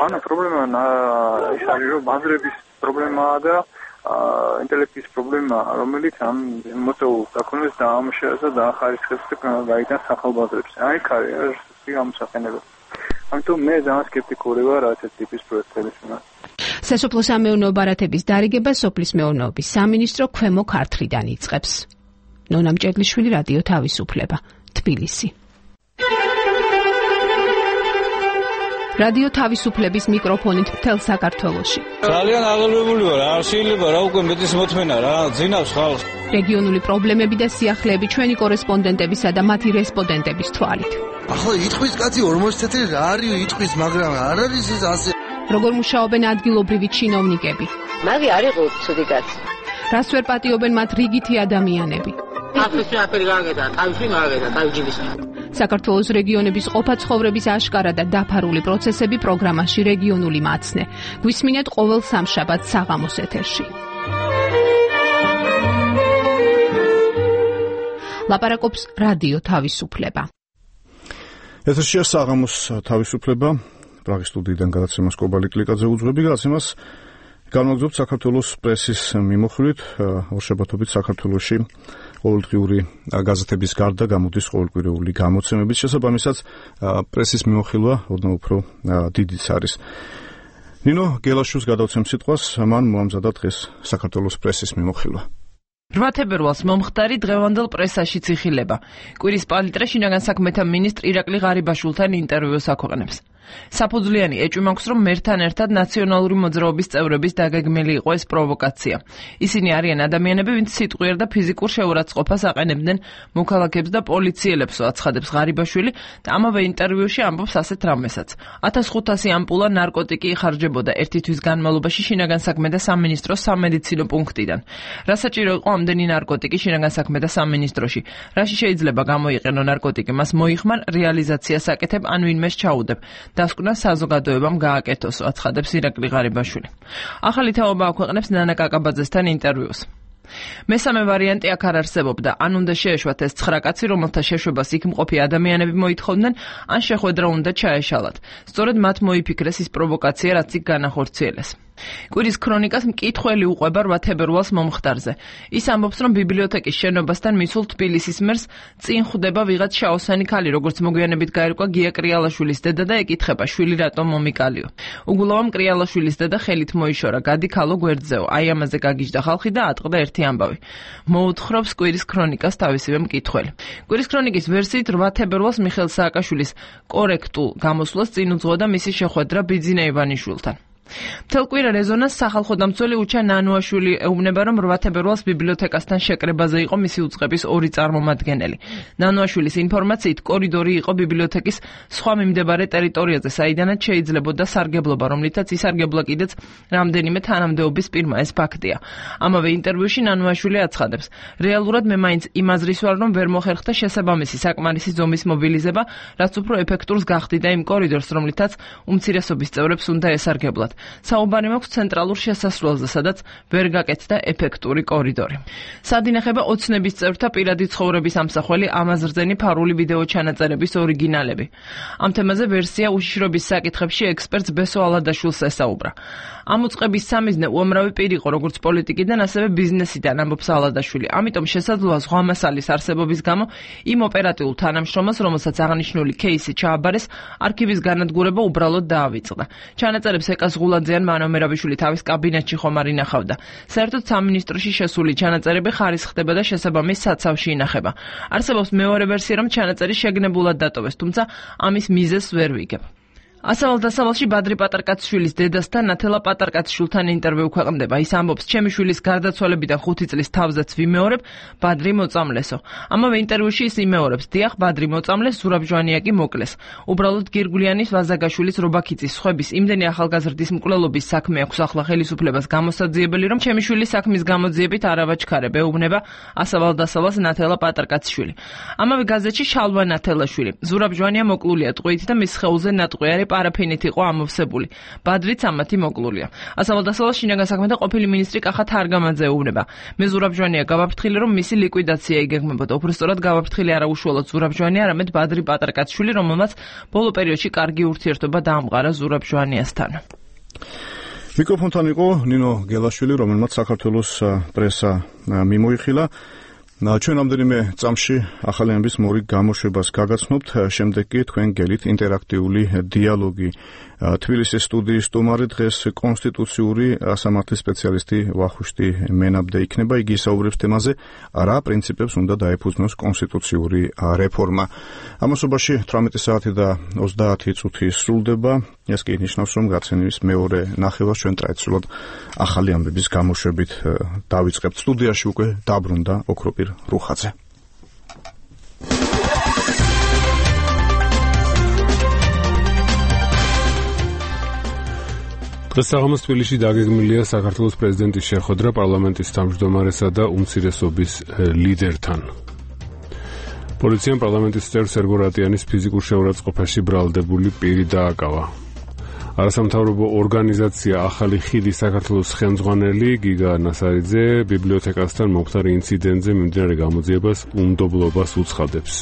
ანუ პრობლემა ის არის, რომ ბაზრების პრობლემაა და ინტელექტის პრობლემა, რომელიც ამ მოწეულ საქონელს დაამუშავებს და დაახარისხებს და გაიტანს სახალბაზრებს. აი, კარიერას გამოსახენებელი. ამიტომ მე ძალიან სკეპტიკური ვარ ასეთ ტიპის პროექტების მიმართ. სასოფლო-სამეურნეო ბარათების დარიგება სოფლის მეურნეობის სამინისტრო ქვემო ქართლიდან იწყებს. ნონა მჭედლიშვილი, რადიო თავისუფლება, თბილისი. რადიო თავისუფლების მიკროფონით მთელ საქართველოში. ძალიან აღელვებული ვარ, არ შეიძლება რა უკვე მეტის მოთმენა რა, ძინავს ხალხს. რეგიონული პრობლემები და სიახლეები ჩვენი კორესპონდენტებისა და მათი რესპონდენტების თვალით. ახლა იტყვის კაცი 40 წელი რა არის იტყვის, მაგრამ არ არის ეს ასე. როგორ მუშაობენ ადგილობრივი ჩინოვნიკები? მაგი არ იყო ცუდი კაცი. რას ვერ პატიობენ მათ რიგითი ადამიანები? აფრიკაში აფერი გააკეთა, თავში გააკეთა, თავჯიბის. საქართველოს რეგიონების ყოფა ცხოვრების აშკარა და დაფარული პროცესები პროგრამაში რეგიონული მაცნე. გვისმინეთ ყოველ სამშაბათს საღამოს ეთერში. ლაპარაკობს რადიო თავისუფლება. ეთერშია საღამოს თავისუფლება. პრაღის სტუდიიდან გადაცემას კობალი კლიკაძე უძღვები. გადაცემას განმაგზავნებთ საქართველოს პრესის მიმოხილვით. ორშაბათობით საქართველოში ყოველდღიური გაზეთების გარდა გამოდის ყოველკვირეული გამოცემების, შესაბამისად პრესის მიმოხილვა ოდნავ უფრო დიდიც არის. ნინო გელაშვილს გადავცემ სიტყვას, მან მოამზადა დღეს საქართველოს პრესის მიმოხილვა. 8 თებერვალს მომხდარი დღევანდელ პრესაშიც იხილება. კვირის პალიტრა შინაგან საქმეთა მინისტრ ირაკლი ღარიბაშვილთან ინტერვიუს აქვეყნებს. საფუძვლიანი ეჭვი მაქვს, რომ მერთან ერთად ნაციონალური მოძრაობის წევრების დაგეგმილი იყო ეს პროვოკაცია. ისინი არიან ადამიანები, ვინც სიტყვიერ და ფიზიკურ შეურაცხყოფას აყენებდნენ მოქალაქეებს და პოლიციელებს, აცხადებს ღარიბაშვილი და ამავე ინტერვიუში ამბობს ასეთ რამესაც. 1500 ამპულა ნარკოტიკი იხარჯებოდა ერთი თვის განმავლობაში შინაგან საქმეთა სამინისტროს სამედიცინო პუნქტიდან. რა საჭირო იყო ამდენი ნარკოტიკი შინაგან საქმეთა სამინისტროში? რაში შეიძლება გამოიყენო ნარკოტიკი? მას მოიხმარ, რეალიზაციას აკეთებ, ან ვინმეს ჩაუდებ. დასკვნა საზოგადოებამ გააკეთოს, აცხადებს ირაკლი ღარიბაშვილი. ახალი თაობა აქვეყნებს ნანა კაკაბაძესთან ინტერვიუს. მესამე ვარიანტი აქ არ არსებობდა, ან უნდა შეეშვათ ეს 9 კაცი, რომელთა შეშვებას იქ მყოფი ადამიანები მოითხოვდნენ, ან შეხვედრა უნდა ჩაეშალათ. სწორედ მათ მოიფიქრეს ის პროვოკაცია, რაც იქ განახორციელეს. კვირის ქრონიკას მკითხველი უყვება 8 თებერვალს მომხდარზე. ის ამბობს, რომ ბიბლიოთეკის შენობასთან მისულ თბილისის მერს წინ ხვდება ვიღაც შაოსანი ქალი, როგორც მოგვიანებით გაირკვა გია კრიალაშვილის დედა და ეკითხება, შვილი რატომ მომიკალიო. უგულავამ კრიალაშვილის დედა ხელით მოიშორა, გადი ქალო გვერდზეო. აი ამაზე გაგიჟდა ხალხი და ატყდა ერთი ამბავი. მოუთხრობს კვირის ქრონიკას თავისივე მკითხველი. კვირის ქრონიკის ვერსიით 8 თებერვალს მიხეილ სააკაშვილის კორექტულ გამოსვლას წინ უძღვოდა მისი შეხვედრა ბიძინა ივანიშვილთან. მთელ კვირა რეზონანსს სახალხო დამცველი უჩა ნანუაშვილი ეუბნება, რომ 8 თებერვალს ბიბლიოთეკასთან შეკრებაზე იყო მისი უწყების ორი წარმომადგენელი. ნანუაშვილის ინფორმაციით, კორიდორი იყო ბიბლიოთეკის სხვა მიმდებარე ტერიტორიაზე, საიდანაც შეიძლებოდა სარგებლობა, რომლითაც ისარგებლა კიდეც რამდენიმე თანამდებობის პირმა. ეს ფაქტია. ამავე ინტერვიუში ნანუაშვილი აცხადებს, რეალურად მე მაინც იმ აზრის ვარ, რომ ვერ მოხერხდა შესაბამისი საკმარისი ზომის მობილიზება, რაც უფრო ეფექტურს გახდიდა იმ კორიდორს, რომლითაც უმცირესობის წევრებს უნდა ესარგებლათ. საუბარი მაქვს ცენტრალურ შესასვლელზე, სადაც ვერ გაკეთდა ეფექტური კორიდორი. სად ინახება ოცნების წევრთა პირადი ცხოვრების ამსახველი ამაზრზენი ფარული ვიდეო ჩანაწერების ორიგინალები. ამ თემაზე ვერსია უშიშრობის საკითხებში ექსპერტს ბესო ალადაშვილს ესაუბრა. ამ უწყების სამიზნე უამრავი პირი იყო, როგორც პოლიტიკიდან, ასევე ბიზნესიდან, ამბობს ალადაშვილი. ამიტომ შესაძლოა ზღვა მასალის არსებობის გამო იმ ოპერატიულ თანამშრომელს, რომელსაც აღნიშნული кейსი ჩააბარეს, არქივის განადგურება უბრალოდ დაავიწყდა. ჩანაწერებს ეკას ღულაძე ან მანომერავიშვილი თავის კაბინეტში ხომ არ ინახავდა. საერთოდ სამინისტროში შესული ჩანაწერები ხარისხდება და შესაბამის საცავში ინახება. არსებობს მეორე ვერსია, რომ ჩანაწერი შეგნებულად დატოვეს, თუმცა ამის მიზეზს ვერ ვიგებ. ასავალ-დასავალში ბადრი პატარკაციშვილის დედასთან ნათელა პატარკაციშვილთან ინტერვიუ ქვეყნდება. ის ამბობს, ჩემი შვილის გარდაცვალებიდან 5 წლის თავზეც ვიმეორებ, ბადრი მოწამლესო. ამავე ინტერვიუში ის იმეორებს, დიახ, ბადრი მოწამლეს, ზურაბ ჟვანია კი მოკლეს. უბრალოდ გირგულიანის, ვაზაგაშვილის, რობაქიცის, ხვების, იმდენი ახალგაზრდის მკვლელობის საქმე აქვს ახლა ხელისუფლებას გამოსაძიებელი, რომ ჩემი შვილის საქმის გამოძიებით არ ავაჩქარებ, ეუბნება ასავალ-დასავალს ნათელა პატარკაციშვილი. ამავე გაზეთში შალვა ნათელაშვილი. ზურაბ ჟვანია მოკლულია ტყვით და მის სხეულზე ნატყვიარი პარაფინით იყო ამოვსებული. ბადრიც ამათი მოკლულია. ასავალ-დასავალს შინაგან საქმეთა ყოფილი მინისტრი კახა თარგამაძე ეუბნება. მე ზურაბ ჟვანია გავაფრთხილე, რომ მისი ლიკვიდაცია იგეგმებოდა. უბრალოდ გავაფრთხილე არა უშუალოდ ზურაბ ჟვანია, არამედ ბადრი პატარკაციშვილი, რომელმაც ბოლო პერიოდში კარგი ურთიერთობა დაამყარა ზურაბ ჟვანიასთან. მიკროფონთან იყო ნინო გელაშვილი, რომელმაც საქართველოს პრესა მიმოიხილა. ჩვენ რამდენიმე წამში ახალიანების მორიგ გამოშვებას გაგაცნობთ, შემდეგ კი თქვენ გელით ინტერაქტიული დიალოგი. თბილისის სტუდიის სტუმარი დღეს კონსტიტუციური სამართლის სპეციალისტი ვახუშტი მენაბდე იქნება. იგი ისაუბრებს თემაზე, რა პრინციპებს უნდა დაეფუძნოს კონსტიტუციური რეფორმა. ამასობაში 18 საათი და 30 წუთი სრულდება. ეს კი ნიშნავს, რომ გაცემის მეორე ნახევარს ჩვენ ტრადიციულად ახალი ამბების გამოშვებით დავიწყებთ. სტუდიაში უკვე დაბრუნდა ოქროპირ რუხაძე. დღეს საღამოს თბილისში დაგეგმილია საქართველოს პრეზიდენტის შეხვედრა პარლამენტის თავმჯდომარესა და უმცირესობის ლიდერთან. პოლიციამ პარლამენტის წევრ სერგო რატიანის ფიზიკურ შეურაცხყოფაში ბრალდებული პირი დააკავა. არასამთავრობო ორგანიზაცია ახალი ხიდი საქართველოს ხელმძღვანელი გიგა ნასარიძე ბიბლიოთეკასთან მომხდარ ინციდენტზე მიმდინარე გამოძიებას უნდობლობას უცხადებს.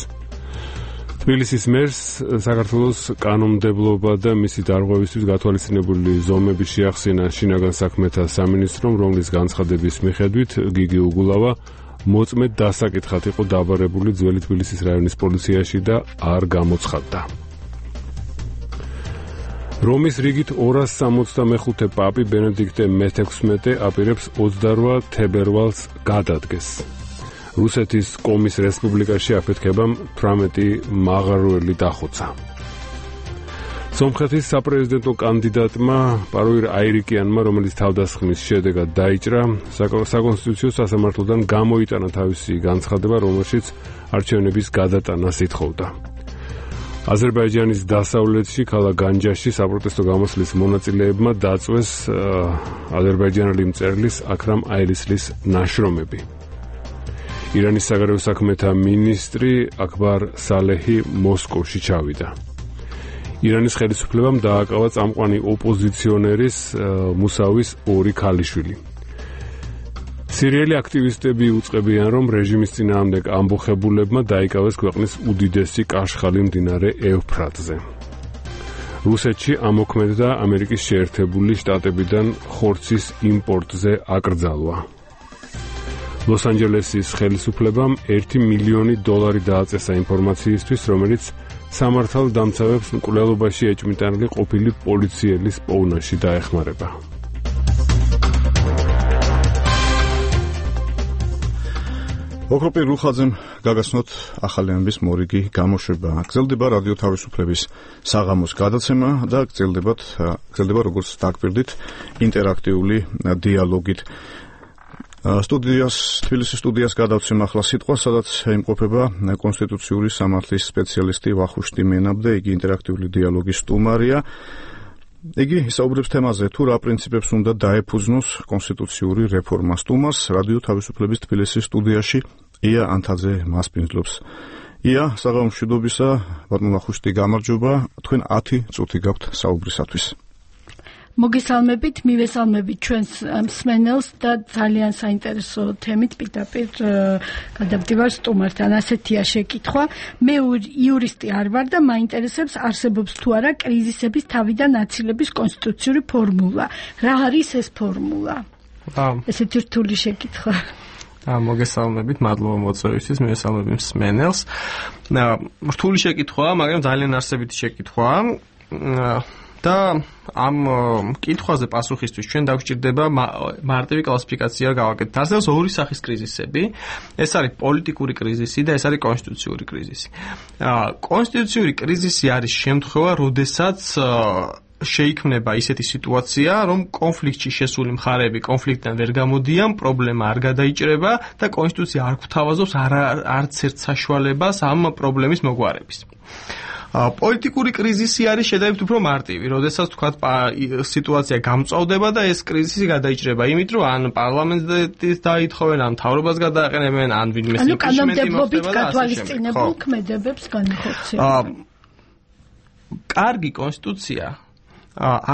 თბილისის მერს საქართველოს კანონმდებლობა და მისი დარღვევისთვის გათვალისწინებული ზომები შეახსენა შინაგან საქმეთა სამინისტრომ, რომლის განცხადების მიხედვით გიგი უგულავა მოწმედ დასაკითხად იყო დაბარებული ძველი თბილისის რაიონის პოლიციაში და არ გამოცხადდა. რომის რიგით 265 პაპი ბენედიქტე მე-16 აპირებს 28 თებერვალს გადადგეს. რუსეთის კომის რესპუბლიკაში აფეთქებამ 18 მაღაროელი დახოცა. სომხეთის საპრეზიდენტო კანდიდატმა პაროირ აირიკიანმა, რომელიც თავდასხმის შედეგად დაიჭრა, საკონსტიტუციო სასამართლოდან გამოიტანა თავისი განცხადება, რომელშიც არჩევნების გადატანას ითხოვდა. აზერბაიჯანის დასავლეთში ქალაქ განჯაში საპროტესტო გამოსვლის მონაწილეებმა დაწვეს აზერბაიჯანელი მწერლის აქრამ აილისლის ნაშრომები. ირანის საგარეო საქმეთა მინისტრი აკბარ სალეჰი მოსკოვში ჩავიდა. ირანის ხელისუფლებამ დააკავა წამყვანი ოპოზიციონერის მუსავის 2 ქალიშვილი. სირიელი აქტივისტები უწყებიან, რომ რეჟიმის წინააღმდეგ ამბოხებულებმა დაიკავეს ქვეყნის უდიდესი კაშხალი მდინარე ევფრატზე. რუსეთში ამოქმედდა ამერიკის შეერთებული შტატებიდან ხორცის იმპორტზე აკრძალვა. ლოს-ანჯელესის ხელისუფლებამ $1 მილიონი დააწესა ინფორმაციისთვის, რომელიც სამართალდამცავებს მკვლელობაში ეჭვმიტანილი ყოფილი პოლიციელის პოვნაში დაეხმარება. ოქროპირ რუხაძემ გაგაცნოთ ახალი ამბის მორიგი გამოშვება. გრძელდება რადიო თავისუფლების საღამოს გადაცემა და გრძელდება როგორც დაგპირდით ინტერაქტიული დიალოგით. თბილისის სტუდიას გადავცემ ახლა სიტყვას, სადაც იმყოფება კონსტიტუციური სამართლის სპეციალისტი ვახუშტი მენაბდე, იგი ინტერაქტიული დიალოგის სტუმარია. იგი ისაუბრებს თემაზე, თუ რა პრინციპებს უნდა დაეფუძნოს კონსტიტუციური რეფორმა. სტუმარს რადიო თავისუფლების თბილისის სტუდიაში ია ანთაძე მასპინძლობს. ია, საღამოს მშვიდობისა, ბატონო ვახუშტი, გამარჯობა. თქვენ 10 წუთი გაქვთ საუბრისათვის. მოგესალმებით, მივესალმებით ჩვენს მსმენელს და ძალიან საინტერესო თემით პირდაპირ გადავდივარ სტუმართან. ასეთია შეკითხვა. მე იურისტი არ ვარ და მაინტერესებს არსებობს თუ არა კრიზისების თავიდან აცილების კონსტიტუციური ფორმულა. რა არის ეს ფორმულა? ესეთი რთული შეკითხვა. მოგესალმებით, მადლობა მოწვევისთვის, მივესალმებით მსმენელს. რთული შეკითხვაა, მაგრამ ძალიან არსებითი შეკითხვაა. და ამ კითხვაზე პასუხისთვის ჩვენ დაგვჭირდება მარტივი კლასიფიკაცია გავაკეთოთ. არსებობს 2 სახის კრიზისები. ეს არის პოლიტიკური კრიზისი და ეს არის კონსტიტუციური კრიზისი. კონსტიტუციური კრიზისი არის შემთხვევა, როდესაც შეიქმნება ისეთი სიტუაცია, რომ კონფლიქტში შესული მხარეები კონფლიქტიდან ვერ გამოდიან, პრობლემა არ გადაიჭრება და კონსტიტუცია არ გვთავაზობს არც ერთ საშუალებას ამ პრობლემის მოგვარების. პოლიტიკური კრიზისი არის შედარებით უფრო მარტივი, როდესაც თქვათ სიტუაცია გამწვავდება და ეს კრიზისი გადაიჭრება იმით, რომ ან პარლამენტის დაითხოვენ, ან მთავრობას გადააყენებენ, ან ვინმე იმპიჩმენტი მოხდება და გათვალისწინებულ ქმედებებს განიხორციელება. კარგი კონსტიტუცია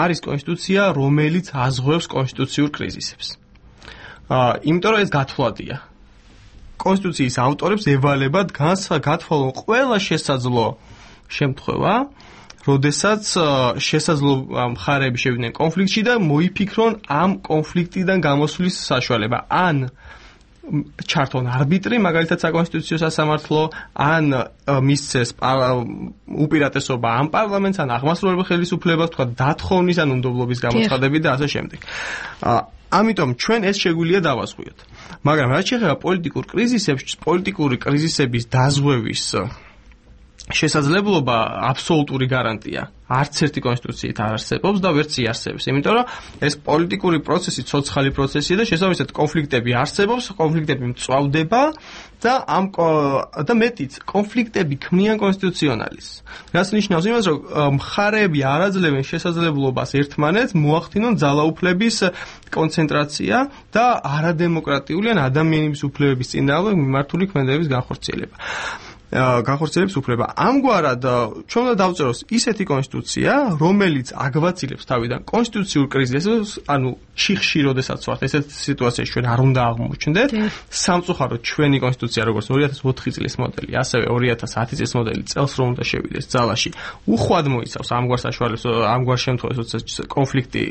არის კონსტიტუცია, რომელიც აზღვევს კონსტიტუციურ კრიზისებს. იმიტომ რომ ეს გათვლადია. კონსტიტუციის ავტორებს ევალებათ გათვალონ ყველა შესაძლო შემთხვევა, როდესაც შესაძლო მხარეები შევიდნენ კონფლიქტში და მოიფიქრონ ამ კონფლიქტიდან გამოსვლის საშუალება. ან ჩართონ არბიტრი, მაგალითად საკონსტიტუციო სასამართლო, ან მისცეს უპირატესობა ამ პარლამენტს, ან აღმასრულებელ ხელისუფლებას, თქვა დათხოვნის ან უნდობლობის გამოცხადებით და ასე შემდეგ. ამიტომ ჩვენ ეს შეგვიძლია დავასხვიოთ. მაგრამ რაც შეეხება პოლიტიკური კრიზისების დაზღვევის შესაძლებლობა აბსოლუტური გარანტია არც ერთი კონსტიტუციით არ არსებობს და ვერც იარსებებს. იმიტომ რომ ეს პოლიტიკური პროცესი ცოცხალი პროცესია და შესაბამისად კონფლიქტები არსებობს, კონფლიქტები მწვავდება და მეტიც კონფლიქტები ქმნიან კონსტიტუციონალიზმს. რაც ნიშნავს იმას, რომ მხარეები არ აძლევენ შესაძლებლობას ერთმანეთს მოახდინონ ძალაუფლების კონცენტრაცია და არადემოკრატიული ან ადამიანის უფლებების წინააღმდეგ მიმართული ქმედებების განხორციელების უფლება. ამგვარად ჩვენ უნდა დავწეროს ისეთი კონსტიტუცია, რომელიც აგვაცილებს თავიდან კონსტიტუციურ კრიზისს, ანუ ჩიხში როდესაც ვართ, ესეთ სიტუაციაში ჩვენ არ უნდა აღმოჩნდეთ. სამწუხაროდ ჩვენი კონსტიტუცია, როგორც 2004 წლის მოდელი, ასევე 2010 წლის მოდელი წელს რომ უნდა შევიდეს ძალაში, უხვად მოიცავს ამგვარ საშუალებას, ამგვარ შემთხვევაში, როდესაც კონფლიქტი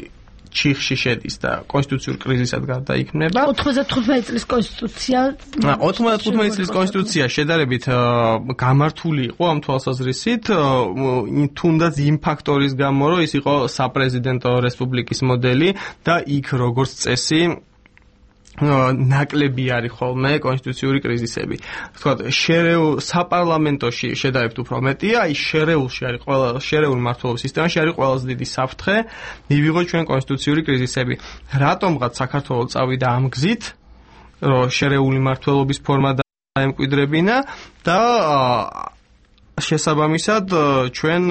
ჩიხში შედის და კონსტიტუციურ კრიზისად გადაიქმნება. 95 წლის კონსტიტუცია 95 წლის კონსტიტუცია შედარებით გამართული იყო ამ თვალსაზრისით, თუნდაც იმ ფაქტორის გამო, რომ ის იყო საპრეზიდენტო რესპუბლიკის მოდელი და იქ როგორც წესი ნაკლები არის ხოლმე კონსტიტუციური კრიზისები. თქვათ, საპარლამენტოში შედარებით უფრო მეტია, აი შერეული მმართველობის სისტემაში არის ყველაზე დიდი საფრთხე მივიღოთ ჩვენ კონსტიტუციური კრიზისები. რატომღაც საქართველოს წავიდა ამ გზით, რომ შერეული მმართველობის ფორმა დაემკვიდრებინა და შესაბამისად ჩვენ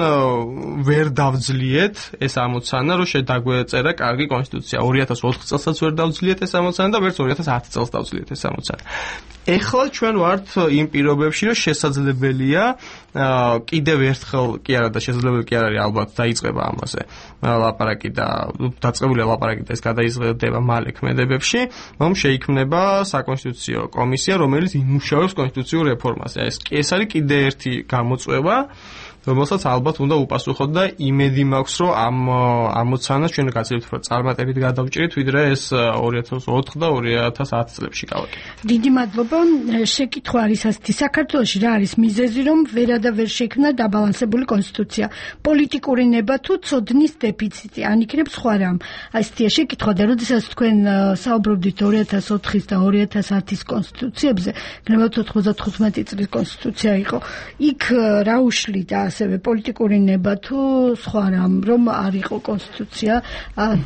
ვერ დავძლიეთ ეს ამოცანა, რომ შედაგვეწერა კარგი კონსტიტუცია. 2004 წელსაც ვერ დავძლიეთ ეს ამოცანა და ვერც 2010 წელს დავძლიეთ ეს ამოცანა. ეხლა ჩვენ ვართ იმ პირობებში, რომ შესაძლებელია კიდევ ერთხელ კი არა და შესაძლებელი კი არ არის ალბათ დაიწყება ამაზე ლაპარაკი და დაწყებულია ლაპარაკი და ეს გადაიზღედება მალე ქმედებებში, რომ შეიქმნება საკონსტიტუციო კომისია, რომელიც იმუშავებს კონსტიტუციურ რეფორმაზე. ეს არის კიდე ერთი გამოწვევა, რომელსაც ალბათ უნდა უპასუხოთ და იმედი მაქვს, რომ ამ ამოცანას ჩვენ გაცილებით უფრო წარმატებით გადავჭრით, ვიდრე ეს 2004 და 2010 წლებში გავაკეთეთ. დიდი მადლობა. შეკითხვა არის ასეთი: საქართველოში რა არის მიზეზი, რომ ვერ შექმნა დაბალანსებული კონსტიტუცია? პოლიტიკური ნება თუ ცოდნის დეფიციტი? ან იქნებ სხვა რამ? ასეთია შეკითხვა და როდესაც თქვენ საუბრობდით 2004 და 2010 კონსტიტუციებზე, გნებავთ 95 წლის კონსტიტუცია იყო. იქ რა უშლიდა ასევე პოლიტიკური ნება თუ სხვა რამ, რომ არ იყო კონსტიტუცია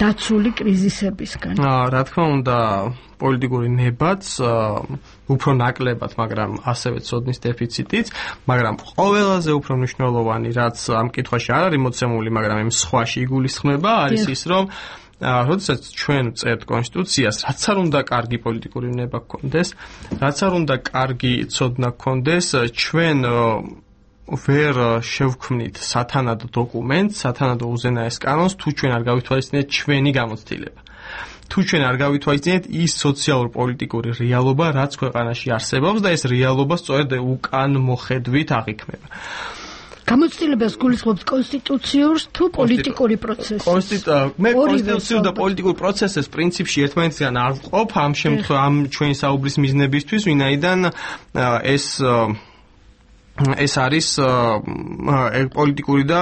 დაცული კრიზისებისგან? რა თქმა უნდა, პოლიტიკური ნებაც უფრო ნაკლებად, მაგრამ ასევე ცოდნის დეფიციტიც, მაგრამ ყველაზე უფრო მნიშვნელოვანი, რაც ამ კითხვაში არ არის მოცემული, მაგრამ იმ სხვაში იგულისხმება, არის ის, რომ როდესაც ჩვენ წერთ კონსტიტუციას, რაც არ უნდა კარგი პოლიტიკური ნება გქონდეს, რაც არ უნდა კარგი ცოდნა გქონდეს, ჩვენ ვერ შევქმნით სათანადო დოკუმენტს, სათანადო უზენაეს კანონს, თუ ჩვენ არ გავითვალისწინეთ ჩვენი გამოცდილება. თუ ჩვენ არ გავითვალისწინეთ ის სოციალურ-პოლიტიკური რეალობა, რაც ქვეყანაში არსებობს და ეს რეალობა სწორედ უკან მოხედვით აღიქმება. გამოცდილებას გულისხმობთ კონსტიტუციურს თუ პოლიტიკური პროცესს? მე კონსტიტუციურ და პოლიტიკურ პროცესს პრინციპში ერთმანეთისგან არ ვყოფ ამ შემთხვევაში, ამ ჩვენი საუბრის მიზნებისთვის, ვინაიდან ეს არის პოლიტიკური და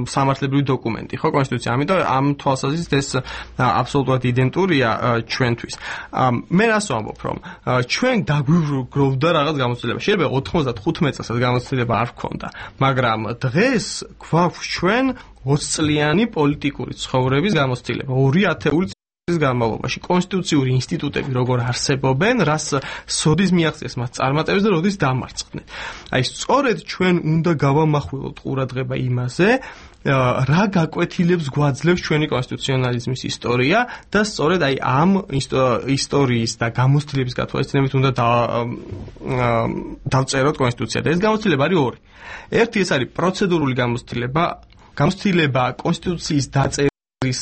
სამართლებრივი დოკუმენტი, ხო, კონსტიტუცია. ამიტომ ამ თვალსაზრისით ეს აბსოლუტურად იდენტურია ჩვენთვის. მე რას ვამბობ, რომ ჩვენ დაგვიგროვდა რაღაც გამოცდილება. შეიძლება 95 წელსაც გამოცდილება არ გქონდა, მაგრამ დღეს გვაქვს ჩვენ 20 წლიანი პოლიტიკური ცხოვრების გამოცდილება. 2 ათეული წლის განმავლობაში კონსტიტუციური ინსტიტუტები როგორ არსებობენ, რას სოდის მიაღწიეს მას წარმატებებს და როდის დამარცხდნენ. აი სწორედ ჩვენ უნდა გავამახვილოთ ყურადღება იმაზე, რა გაკვეთილებს გვაძლევს ჩვენი კონსტიტუციონალიზმის ისტორია და სწორედ აი ამ ისტორიის და გამოცდილების გათვალისწინებით უნდა დავწეროთ კონსტიტუცია. და ეს გამოცდილება არის ორი. ერთი ეს არის პროცედურული გამოცდილება კონსტიტუციის დაწერის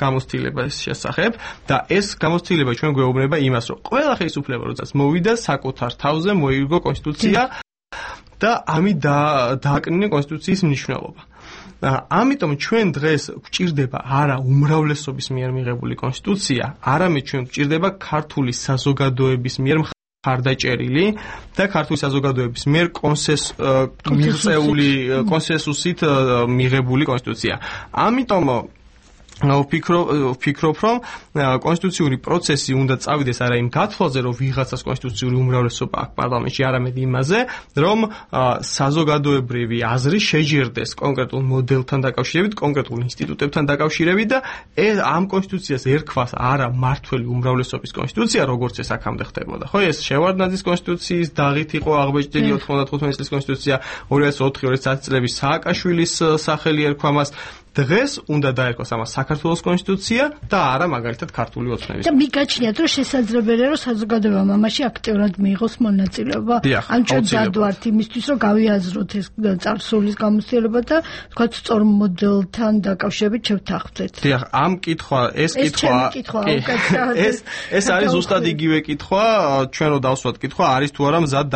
გამოცდილების შესახებ და ეს გამოცდილება ჩვენ გვეუბნება იმას, რომ ყველა ხელისუფლება როდესაც მოვიდა საკუთარ თავზე მოიგო კონსტიტუცია და ამით დააკნინა კონსტიტუციის მნიშვნელობა. ამიტომ ჩვენ დღეს გვჭირდება არა უმრავლესობის მიერ მიღებული კონსტიტუცია, არამედ ჩვენ გვჭირდება ქართული საზოგადოების მიერ ხარდაჭერილი და ქართული საზოგადოების მიერ კონსენსუსით მიღებული კონსტიტუცია. ამიტომ ვფიქრობ, რომ კონსტიტუციური პროცესი უნდა წავიდეს არა იმ გათვალზე, რომ ვიღაცას კონსტიტუციური უმრავლესობა აქვს პარლამენტში, არამედ იმაზე, რომ საზოგადოებრივი აზრი შეჯერდეს კონკრეტულ მოდელთან დაკავშირებით, კონკრეტულ ინსტიტუტებთან დაკავშირებით და ამ კონსტიტუციას ერქვას არა მმართველი უმრავლესობის კონსტიტუცია, როგორც ეს აქამდე ხდებოდა. ხო, ეს შევარდნაძის კონსტიტუციის დაღით იყო აღბეჭდილი 95 წლის კონსტიტუცია, 2004-2010 წლების სააკაშვილის სახელი ერქვა მას. დღეს უნდა დაერქვას ამას საქართველოს კონსტიტუცია და არა მაგალითად ქართული ოცნების. და მიგაჩნიათ, რომ შესაძლებელია, რომ საზოგადოებამ ამაში აქტიურად მიიღოს მონაწილეობა. ან ჩვენ დადვართ იმისთვის, რომ გავიაზროთ ეს წარსულის გამოცდილება და თქვათ სწორ მოდელთან დაკავშირებით შევთანხმდეთ. დიახ, ეს არის ზუსტად იგივე კითხვა, ჩვენ რო დავსვათ კითხვა, არის თუ არა მზად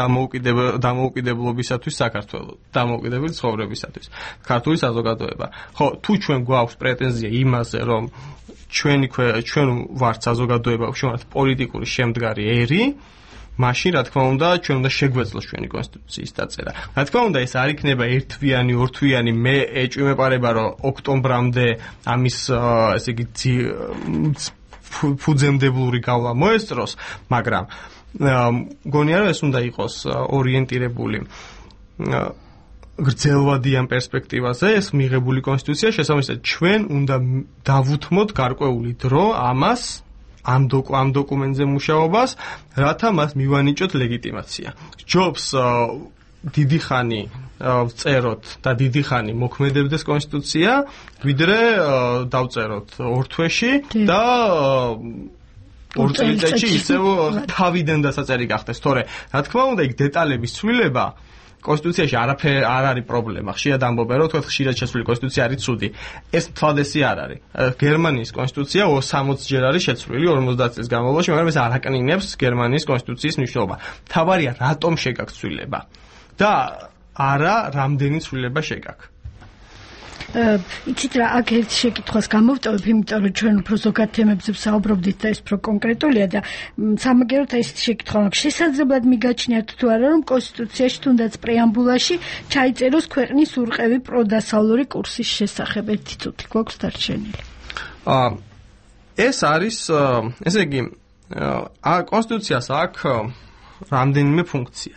დამოუკიდებლობისათვის საქართველოს, დამოუკიდებელი ცხოვრებისათვის ქართული საზოგადოება. ხო, თუ ჩვენ გვაქვს პრეტენზია იმაზე, რომ ჩვენ ვართ საზოგადოება, ჩვენ ვართ პოლიტიკური შემდგარი ერი, მაშინ რა თქმა უნდა, ჩვენ უნდა შეგვეძლოს ჩვენი კონსტიტუციის დაწერა. რა თქმა უნდა, ეს არ იქნება ერთვიანი, ორთვიანი, მე ეჭვმეპარება, რომ ოქტომბრამდე ამის ესე იგი ფუძემდებლური გავლა მოესწროს, მაგრამ მგონია, რომ ეს უნდა იყოს ორიენტირებული გრძელვადიან პერსპექტივაზე, ეს მიღებული კონსტიტუცია შესაბამისად ჩვენ უნდა დავუთმოთ გარკვეული დრო ამას ამ დოკუმენტზე მუშაობას, რათა მას მივანიჭოთ ლეგიტიმაცია. ჯობს დიდი ხანი ვწეროთ და დიდი ხანი მოქმედებდეს კონსტიტუცია, ვიდრე დავწეროთ ორ თვეში და ორ წელიწადში ისევ თავიდან დასაწერი გახდეს. თორე, რა თქმა უნდა, იქ დეტალების ცვლილება კონსტიტუციაში არ არის პრობლემა. ხშირად ამბობენ, რომ თქვათ ხშირად შესული კონსტიტუცია არის ცუდი. ეს თვალდესი არ არის. გერმანიის კონსტიტუცია 60 ჯერ არის შეცვლილი 50 წლის განმავლობაში, მაგრამ ეს არ აკნინებს გერმანიის კონსტიტუციის მნიშვნელობა. თავარია რატომ შეგაქვს ცვლილება და არა რამდენი ცვლილება შეგაქვს. იცით რა, აქ ერთ შეკითხვას გამოვტოვებ, იმიტომ რომ ჩვენ უფრო ზოგად თემებზე ვსაუბრობდით და ეს უფრო კონკრეტულია და სამაგეროთ ეს შეკითხვა მაქვს. შესაძლებლად მიგაჩნიათ თუ არა, რომ კონსტიტუციაში თუნდაც პრეამბულაში ჩაიწეროს ქვეყნის ურყევი პროდასავლური კურსის შესახებ თითოთი გვაქვს დარჩენილი. ეს არის, ესე იგი, კონსტიტუციას აქვს რამდენიმე ფუნქცია.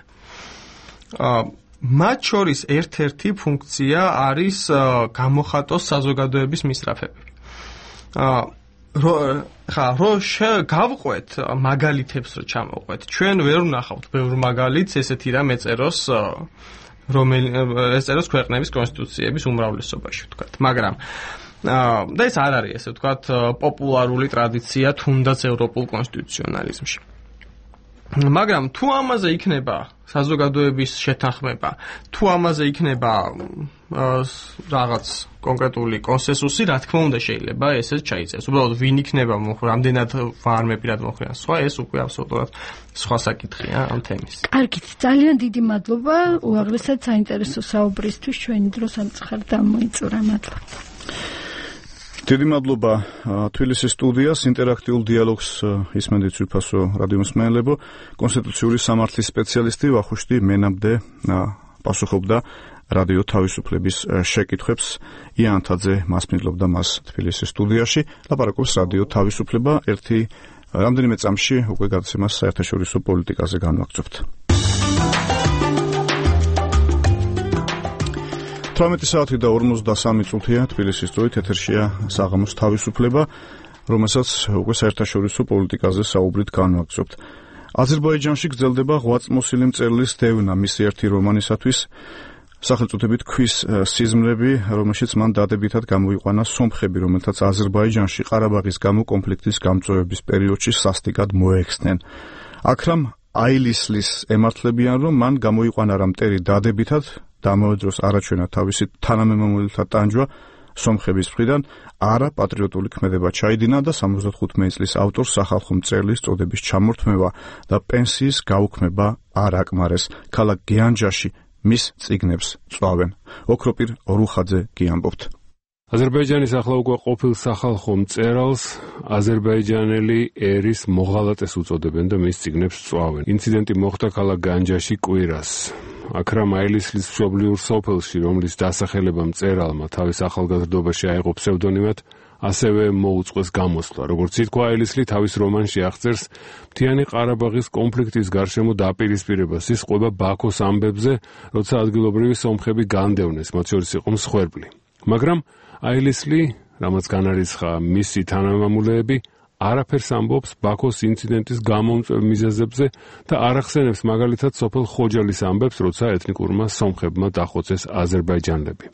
მათ შორის ერთ-ერთი ფუნქცია არის გამოხატოს საზოგადოების მისწრაფები. გავყვეთ მაგალითებს რო ჩამოვყვეთ. ჩვენ ვერ ვნახავთ ბევრ მაგალითს ესეთი რამ ეწეროს ეწეროს ქვეყნების კონსტიტუციების უმრავლესობაში, ვთქვათ. მაგრამ და ეს არ არის ესე ვთქვათ პოპულარული ტრადიცია თუნდაც ევროპულ კონსტიტუციონალიზმში. მაგრამ თუ ამაზე იქნება საზოგადოების შეთანხმება, თუ ამაზე იქნება რაღაც კონკრეტული კონსენსუსი, რა თქმა უნდა შეიძლება ესეც ჩაიწეროს. უბრალოდ ვინ იქნება რამდენად ვარმეპირად მოხდიან სხვა, ეს უკვე აბსოლუტურად სხვა საკითხია ამ თემის. კარგით, ძალიან დიდი მადლობა უაღრესად საინტერესო საუბრისთვის. ჩვენი დრო სამწუხაროდ დამოიწურა. მადლობა. დიდი მადლობა თბილისის სტუდიას, ინტერაქტიულ დიალოგს ისმენდით ძვირფასო რადიო მსმენელებო. კონსტიტუციური სამართლის სპეციალისტი ვახუშტი მენაბდე პასუხობდა რადიო თავისუფლების შეკითხვებს. იანთაძე მასპინძლობდა მას თბილისის სტუდიაში. ლაპარაკობს რადიო თავისუფლება. რამდენიმე წამში უკვე გადაცემას საერთაშორისო პოლიტიკაზე განვაგრძობთ. 18 საათი და 53 წუთია თბილისის დროით ეთერშია საღამოს თავისუფლება, რომელსაც უკვე საერთაშორისო პოლიტიკაზე საუბრით განვაგრძობთ. აზერბაიჯანში გრძელდება ღვაწლმოსილი მწერლის დევნა მისი ერთი რომანისათვის, სახელწოდებით ქვის სიზმრები, რომელშიც მან დადებითად გამოიყვანა სომხები, რომელთაც აზერბაიჯანში ყარაბაღის გამო კონფლიქტის გამწვევების პერიოდში სასტიკად მოეხსნენ. აქრამ აილისლის ემართლებიან, რომ მან გამოიყვანა რა მტერი დადებითად და ამავე დროს არაჩვენა თავისი თანამემამულეთა ტანჯვა სომხების მხრიდან, არა პატრიოტული ქმედება ჩაიდინა და 75 წლის ავტორს სახალხო მწერლის წოდების ჩამორთმევა და პენსიის გაუქმება არ აკმარეს. ქალაქ გიანჯაში მის წიგნებს წვავენ. ოქროპირ ორუხაძე გიამბობთ. აზერბაიჯანის ახლა უკვე ყოფილ სახალხო მწერალს აზერბაიჯანელი ერის მოღალატეს უწოდებენ და მის წიგნებს წვავენ. ინციდენტი მოხდა ქალაქ განჯაში კვირას. აქრამ აილისლის მშობლიურ სოფელში, რომლის დასახელება მწერალმა თავის ახალგაზრდობაში აიღო ფსევდონიმად, ასევე მოუწყვეს გამოსვლა. როგორც ითქვა, აილისლი თავის რომანში აღწერს მთიანი ყარაბაღის კონფლიქტის გარშემო დაპირისპირებას ის ყვება ბაქოს ამბებზე, როცა ადგილობრივი სომხები განდევნეს, მათ შორის იყო მსხვერპლი. მაგრამ აილისლი, რამაც განარისხა მისი თანამამულეები, არაფერს ამბობს ბაქოს ინციდენტის გამომწვევ მიზეზებზე და არ ახსენებს მაგალითად სოფელ ხოჯალის ამბებს, როცა ეთნიკურმა სომხებმა დახოცეს აზერბაიჯანელები.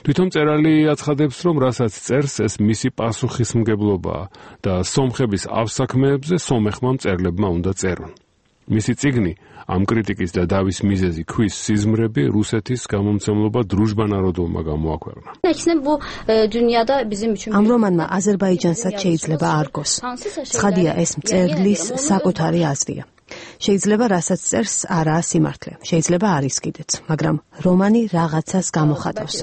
თვითონ მწერალი აცხადებს, რომ რასაც წერს, ეს მისი პასუხისმგებლობაა და სომხების ავსაქმეებზე სომეხმა მწერლებმა უნდა წერონ. მისი წიგნი ამ კრიტიკის და დავის მიზეზი ქვის სიზმრები რუსეთის გამომცემლობა დრუჟბა ნაროდოვმა გამოაქვეყნა. ამ რომანმა აზერბაიჯანსაც შეიძლება არგოს. ცხადია, ეს მწერლის საკუთარი აზრია. შეიძლება რასაც წერს არაა სიმართლე, შეიძლება არის კიდეც, მაგრამ რომანი რაღაცას გამოხატავს.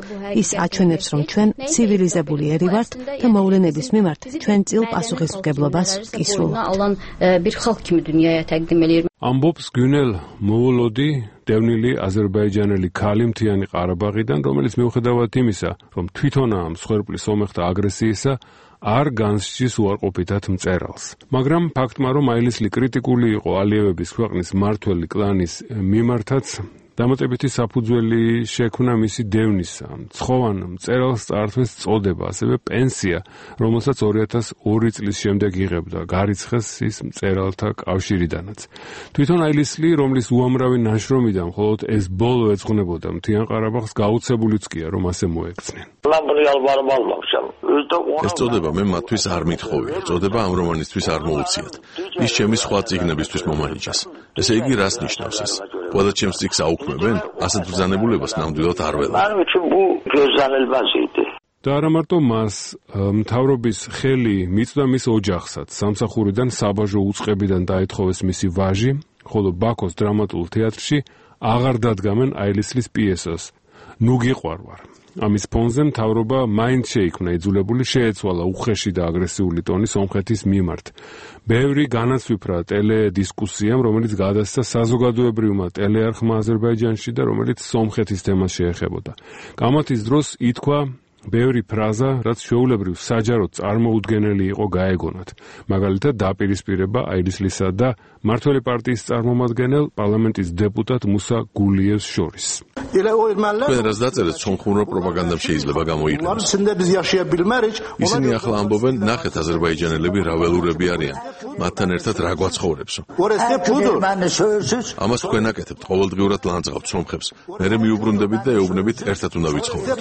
ის აჩვენებს, რომ ჩვენ ცივილიზებული ერი ვართ და მოვლენების მიმართ ჩვენ წილ პასუხისმგებლობას ვკისრულობთ. ამბობს გუნელ მოულოდი, დევნილი აზერბაიჯანელი ქალი მთიანი ყარაბაღიდან, რომელიც მიუხედავად იმისა, რომ თვითონაა მსხვერპლის სომეხთა აგრესიისა, არ განსჯის უარყოფითად მწერალს. მაგრამ ფაქტმა, რომ აილისლი კრიტიკული იყო ალიევების ქვეყნის მმართველი კლანის მიმართაც, დამატებითი საფუძველი შექმნა მისი დევნისა. ცხოვან მწერალს წართვის წოდება, ასევე პენსია, რომელსაც 2002 წლის შემდეგ იღებდა, გარიცხეს ის მწერალთა კავშირიდანაც. თვითონ აილისლი, რომლის უამრავი ნაშრომიდან მხოლოდ ეს ბოლო ეძღვნებოდა მთიან ყარაბაღს, გაუცებულიც კი რომ ასე მოექცნენ. ეს წოდება მე მათთვის არ მithხოვია, წოდება ამ რომანისთვის არ მოუციათ. ის ჩემი სხვა წიგნებისთვის მომანიჭეს. ესე იგი, რას ნიშნავს ეს? ყველა ჩემს წიგნს აუქმებენ? ასეთ ბრძანებულებას ნამდვილად არ ველა. და არა მარტო მას, მთავრობის ხელი მიწვდა მის ოჯახსაც. სამსახურიდან საბაჟო უწყებიდან დაეთხოვეს მისი ვაჟი, ხოლო ბაქოს დრამატულ თეატრში აღარ დადგამენ აილისლის პიესას ნუ გიყვარვარ. ამის ფონზე მთავრობა მაინც შეიქმნა იძულებული, შეეცვალა უხეში და აგრესიული ტონი სომხეთის მიმართ. ბევრი განაცვიფრა ტელედისკუსიამ, რომელიც გადასცა საზოგადოებრივმა ტელეარხმა აზერბაიჯანში და რომელიც სომხეთის თემას შეეხებოდა. კამათის დროს ითქვა ბევრი ფრაზა, რაც ჩვეულებრივ საჯაროდ წარმოუდგენელი იყო გაეგონათ. მაგალითად, დაპირისპირება აილისლისა და მართველი პარტიის წარმომადგენელ პარლამენტის დეპუტატ მუსა გულიევს შორის. თქვენ რაც დაწერეთ, სომხურ პროპაგანდამ შეიძლება გამოიყენოს. ისინი ახლა ამბობენ, ნახეთ აზერბაიჯანელები რა ველურები არიან. მათთან ერთად რა გვაცხოვრებსო. ამას თქვენ აკეთებთ, ყოველდღიურად ლანძღავთ სომხებს. მერე მიუბრუნდებით და ეუბნებით, ერთად უნდა ვიცხოვროთ.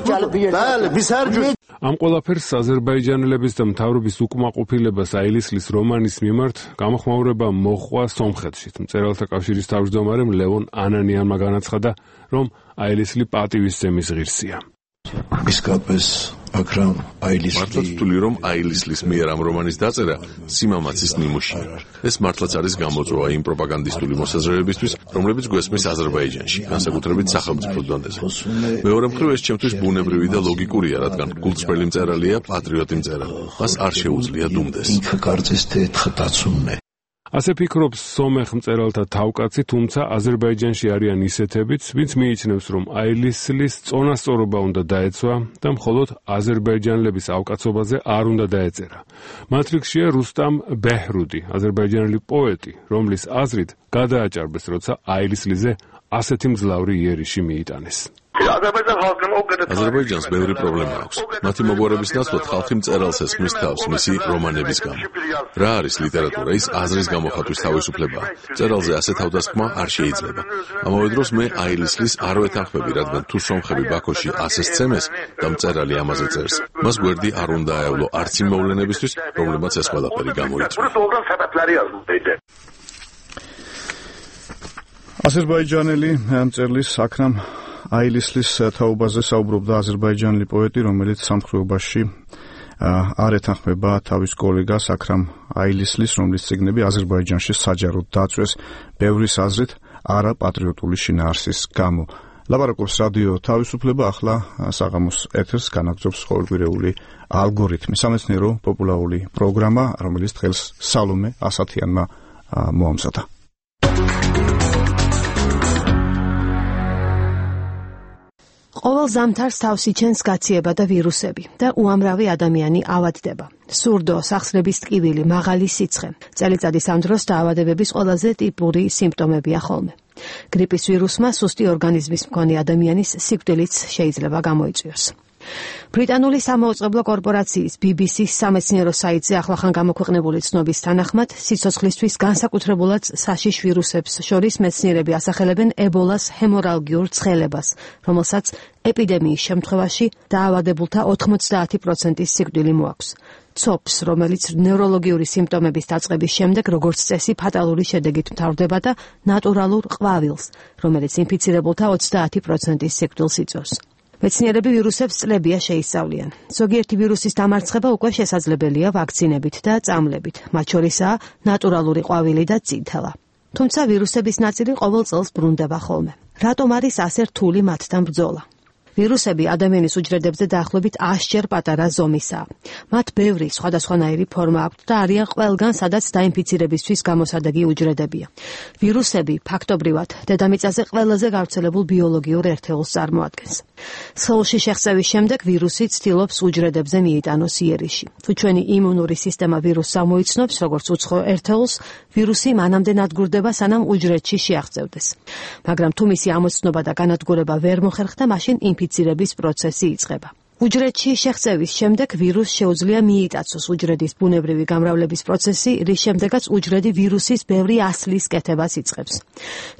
ამ ყველაფერს აზერბაიჯანელების და მთავრობის უკმაყოფილებას აილისლის რომანის მიმართ გამოხმაურება მოჰყვა სომხეთშიც. მწერალთა კავშირის თავმჯდომარემ ლევონ ანანიანმა განაცხადა, რომ აილისლი პატივისცემის ღირსია. მართლაც ვთვლი, რომ აილისლის მიერ ამ რომანის დაწერა სიმამაცის ნიმუშია. ეს მართლაც არის გამოწვევა იმ პროპაგანდისტული მოსაზრებებისთვის, რომლებიც გვესმის აზერბაიჯანში, განსაკუთრებით სახელმწიფო დონეზე. მეორე მხრივ, ეს ჩემთვის ბუნებრივი და ლოგიკურია, რადგან გულწრფელი მწერალია, პატრიოტი მწერალი. მას არ შეუძლია დუმდეს. ასე ფიქრობს სომეხ მწერალთა თავკაცი, თუმცა აზერბაიჯანში არიან ისეთებიც, ვინც მიიჩნევს, რომ აილისლის წონასწორობა უნდა დაეცვა და მხოლოდ აზერბაიჯანელების ავკაცობაზე არ უნდა დაეწერა. მათ რიგშია რუსტამ ბეჰრუდი, აზერბაიჯანელი პოეტი, რომლის აზრით გადააჭარბეს, როცა აილისლიზე ასეთი მძლავრი იერიში მიიტანეს. აზერბაიჯანს ბევრი პრობლემა აქვს. მათი მოგვარების ნაცვლად ხალხი მწერალს ესმის თავს მისი რომანების გამო. რა არის ლიტერატურა? ის აზრის გამოხატვის თავისუფლებაა. მწერალზე ასე თავდასხმა არ შეიძლება. ამავე დროს მე აილისლის არ ვეთანხმები, რადგან თუ სომხები ბაქოში ასე სცემეს და მწერალი ამაზე წერს, მას გვერდი არ უნდა აევლო არც იმ მოვლენებისთვის, რომლებმაც ეს ყველაფერი გამოიწვია. აზერბაიჯანელი მწერლის აქრამ აილისლის თაობაზე საუბრობდა აზერბაიჯანელი პოეტი, რომელიც სამხედროში არ ეთანხმება თავის კოლეგას აქრამ აილისლის, რომლის წიგნები აზერბაიჯანში საჯაროდ დაწვეს ბევრის აზრით არაპატრიოტული შინაარსის გამო. ლაპარაკობს რადიო თავისუფლება, ახლა საღამოს ეთერს განაგრძობს ყოველკვირეული ალგორითმი, სამეცნიერო პოპულარული პროგრამა, რომელიც დღეს სალომე ასათიანმა მოამზადა. ყოველ ზამთარს თავს იჩენს გაციება და ვირუსები და უამრავი ადამიანი ავადდება. სურდო, სახსრების ტკივილი, მაღალი სიცხე. წელიწადის ამ დროს დაავადებების ყველაზე ტიპური სიმპტომებია ხოლმე. გრიპის ვირუსმა სუსტი ორგანიზმის მქონე ადამიანის სიკვდილიც შეიძლება გამოიწვიოს. ბრიტანული სამაუწყებლო კორპორაციის BBC-ის სამეცნიერო საიტზე ახლახან გამოქვეყნებული ცნობის თანახმად, სიცოცხლისთვის განსაკუთრებულად საშიშ ვირუსებს შორის მეცნიერები ასახელებენ ებოლას ჰემორალგიურ ცხელებას, რომელსაც ეპიდემიის შემთხვევაში დაავადებულთა 90%-ის სიკვდილი მოაქვს. ცოფს, რომელიც ნევროლოგიური სიმპტომების დაწყების შემდეგ როგორც წესი ფატალური შედეგით მთავრდება და ნატურალურ ყვავილს, რომელიც ინფიცირებულთა 30%-ის სიკვდილს იწვევს. მეცნიერები ვირუსებს წლებია შეისწავლიან. ზოგიერთი ვირუსის დამარცხება უკვე შესაძლებელია ვაქცინებით და წამლებით, მათ შორისაა ნატურალური ყვავილი და წითელა. თუმცა ვირუსების ნაწილი ყოველ წელს ბრუნდება ხოლმე. რატომ არის ასე რთული მათთან ბრძოლა? ვირუსები ადამიანის უჯრედებზე დაახლოებით 100-ჯერ პატარა ზომისაა. მათ ბევრი სხვადასხვანაირი ფორმა აქვთ და არიან ყველგან, სადაც დაინფიცირებისთვის გამოსადეგი უჯრედებია. ვირუსები ფაქტობრივად დედამიწაზე ყველაზე გავრცელებულ ბიოლოგიურ ერთეულს წარმოადგენს. სხეულში შეღწევის შემდეგ ვირუსი ცდილობს უჯრედებზე მიიტანოს იერიში. თუ ჩვენი იმუნური სისტემა ვირუსს ამოიცნობს, როგორც უცხო ერთეულს, ვირუსი მანამდე ნადგურდება, სანამ უჯრედში შეაღწევდეს. მაგრამ თუ მისი ამოცნობა და განადგურება ვერ მოხერხდა, მაშინ ინფიცირების პროცესი იწყება. უჯრედში შეღწევის შემდეგ ვირუსს შეუძლია მიიტაცოს უჯრედის ბუნებრივი გამრავლების პროცესი, რის შემდეგაც უჯრედი ვირუსის ბევრი ასლის კეთებას იწყებს.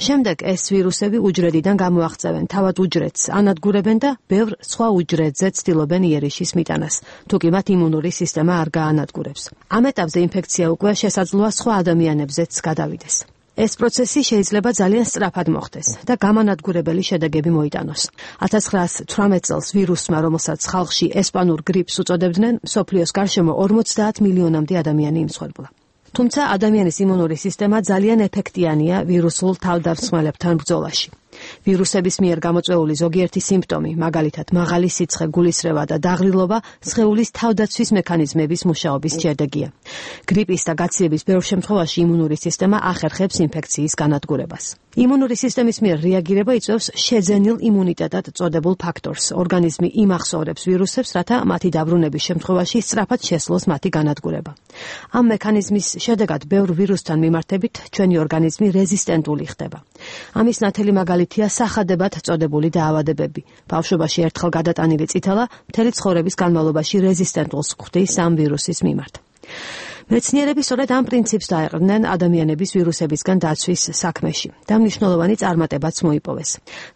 შემდეგ ეს ვირუსები უჯრედიდან გამოაღწევენ თავად უჯრედს, ანადგურებენ და ბევრ სხვა უჯრედზე ცდილობენ იერიშის მიტანას, თუ კი მათ იმუნური სისტემა არ გაანადგურებს. ამ ეტაპზე ინფექცია უკვე შესაძლოა სხვა ადამიანებზეც გადავიდეს. ეს პროცესი შეიძლება ძალიან სწრაფად მოხდეს და გამანადგურებელი შედეგები მოიტანოს. 1918 წელს ვირუსმა, რომელსაც ხალხში ესპანურ გრიპს უწოდებდნენ, მსოფლიოს გარშემო 50 მილიონამდე ადამიანი იმსხვერპლა. თუმცა ადამიანის იმუნური სისტემა ძალიან ეფექტიანია ვირუსულ თავდამსხმელებთან ბრძოლაში. ვირუსების მიერ გამოწვეული ზოგიერთი სიმპტომი, მაგალითად მაღალი სიცხე, გულისრევა და დაღრილობა, სხეულის თავდაცვის მექანიზმების მუშაობის შედეგია. გრიპის და გაციების ბევრ შემთხვევაში იმუნური სისტემა ახერხებს ინფექციის განადგურებას. იმუნური სისტემის მიერ რეაგირება იწვევს შეძენილ იმუნიტეტად წოდებულ ფაქტორს. ორგანიზმი იმახსოვრებს ვირუსებს, რათა მათი დაბრუნების შემთხვევაში სწრაფად შესძლოს მათი განადგურება. ამ მექანიზმის შედეგად ბევრ ვირუსთან მიმართებით ჩვენი ორგანიზმი რეზისტენტული ხდება. ამის ნათელი მაგალითია სახადებად წოდებული დაავადებები. ბავშვობაში ერთხელ გადატანილი წითელა მთელი ცხოვრების განმავლობაში რეზისტენტულს ხვდის ამ ვირუსის მიმართ. მეცნიერები სწორედ ამ პრინციპს დაეყრდნენ ადამიანების ვირუსებისგან დაცვის საქმეში და მნიშვნელოვანი წარმატებაც მოიპოვეს.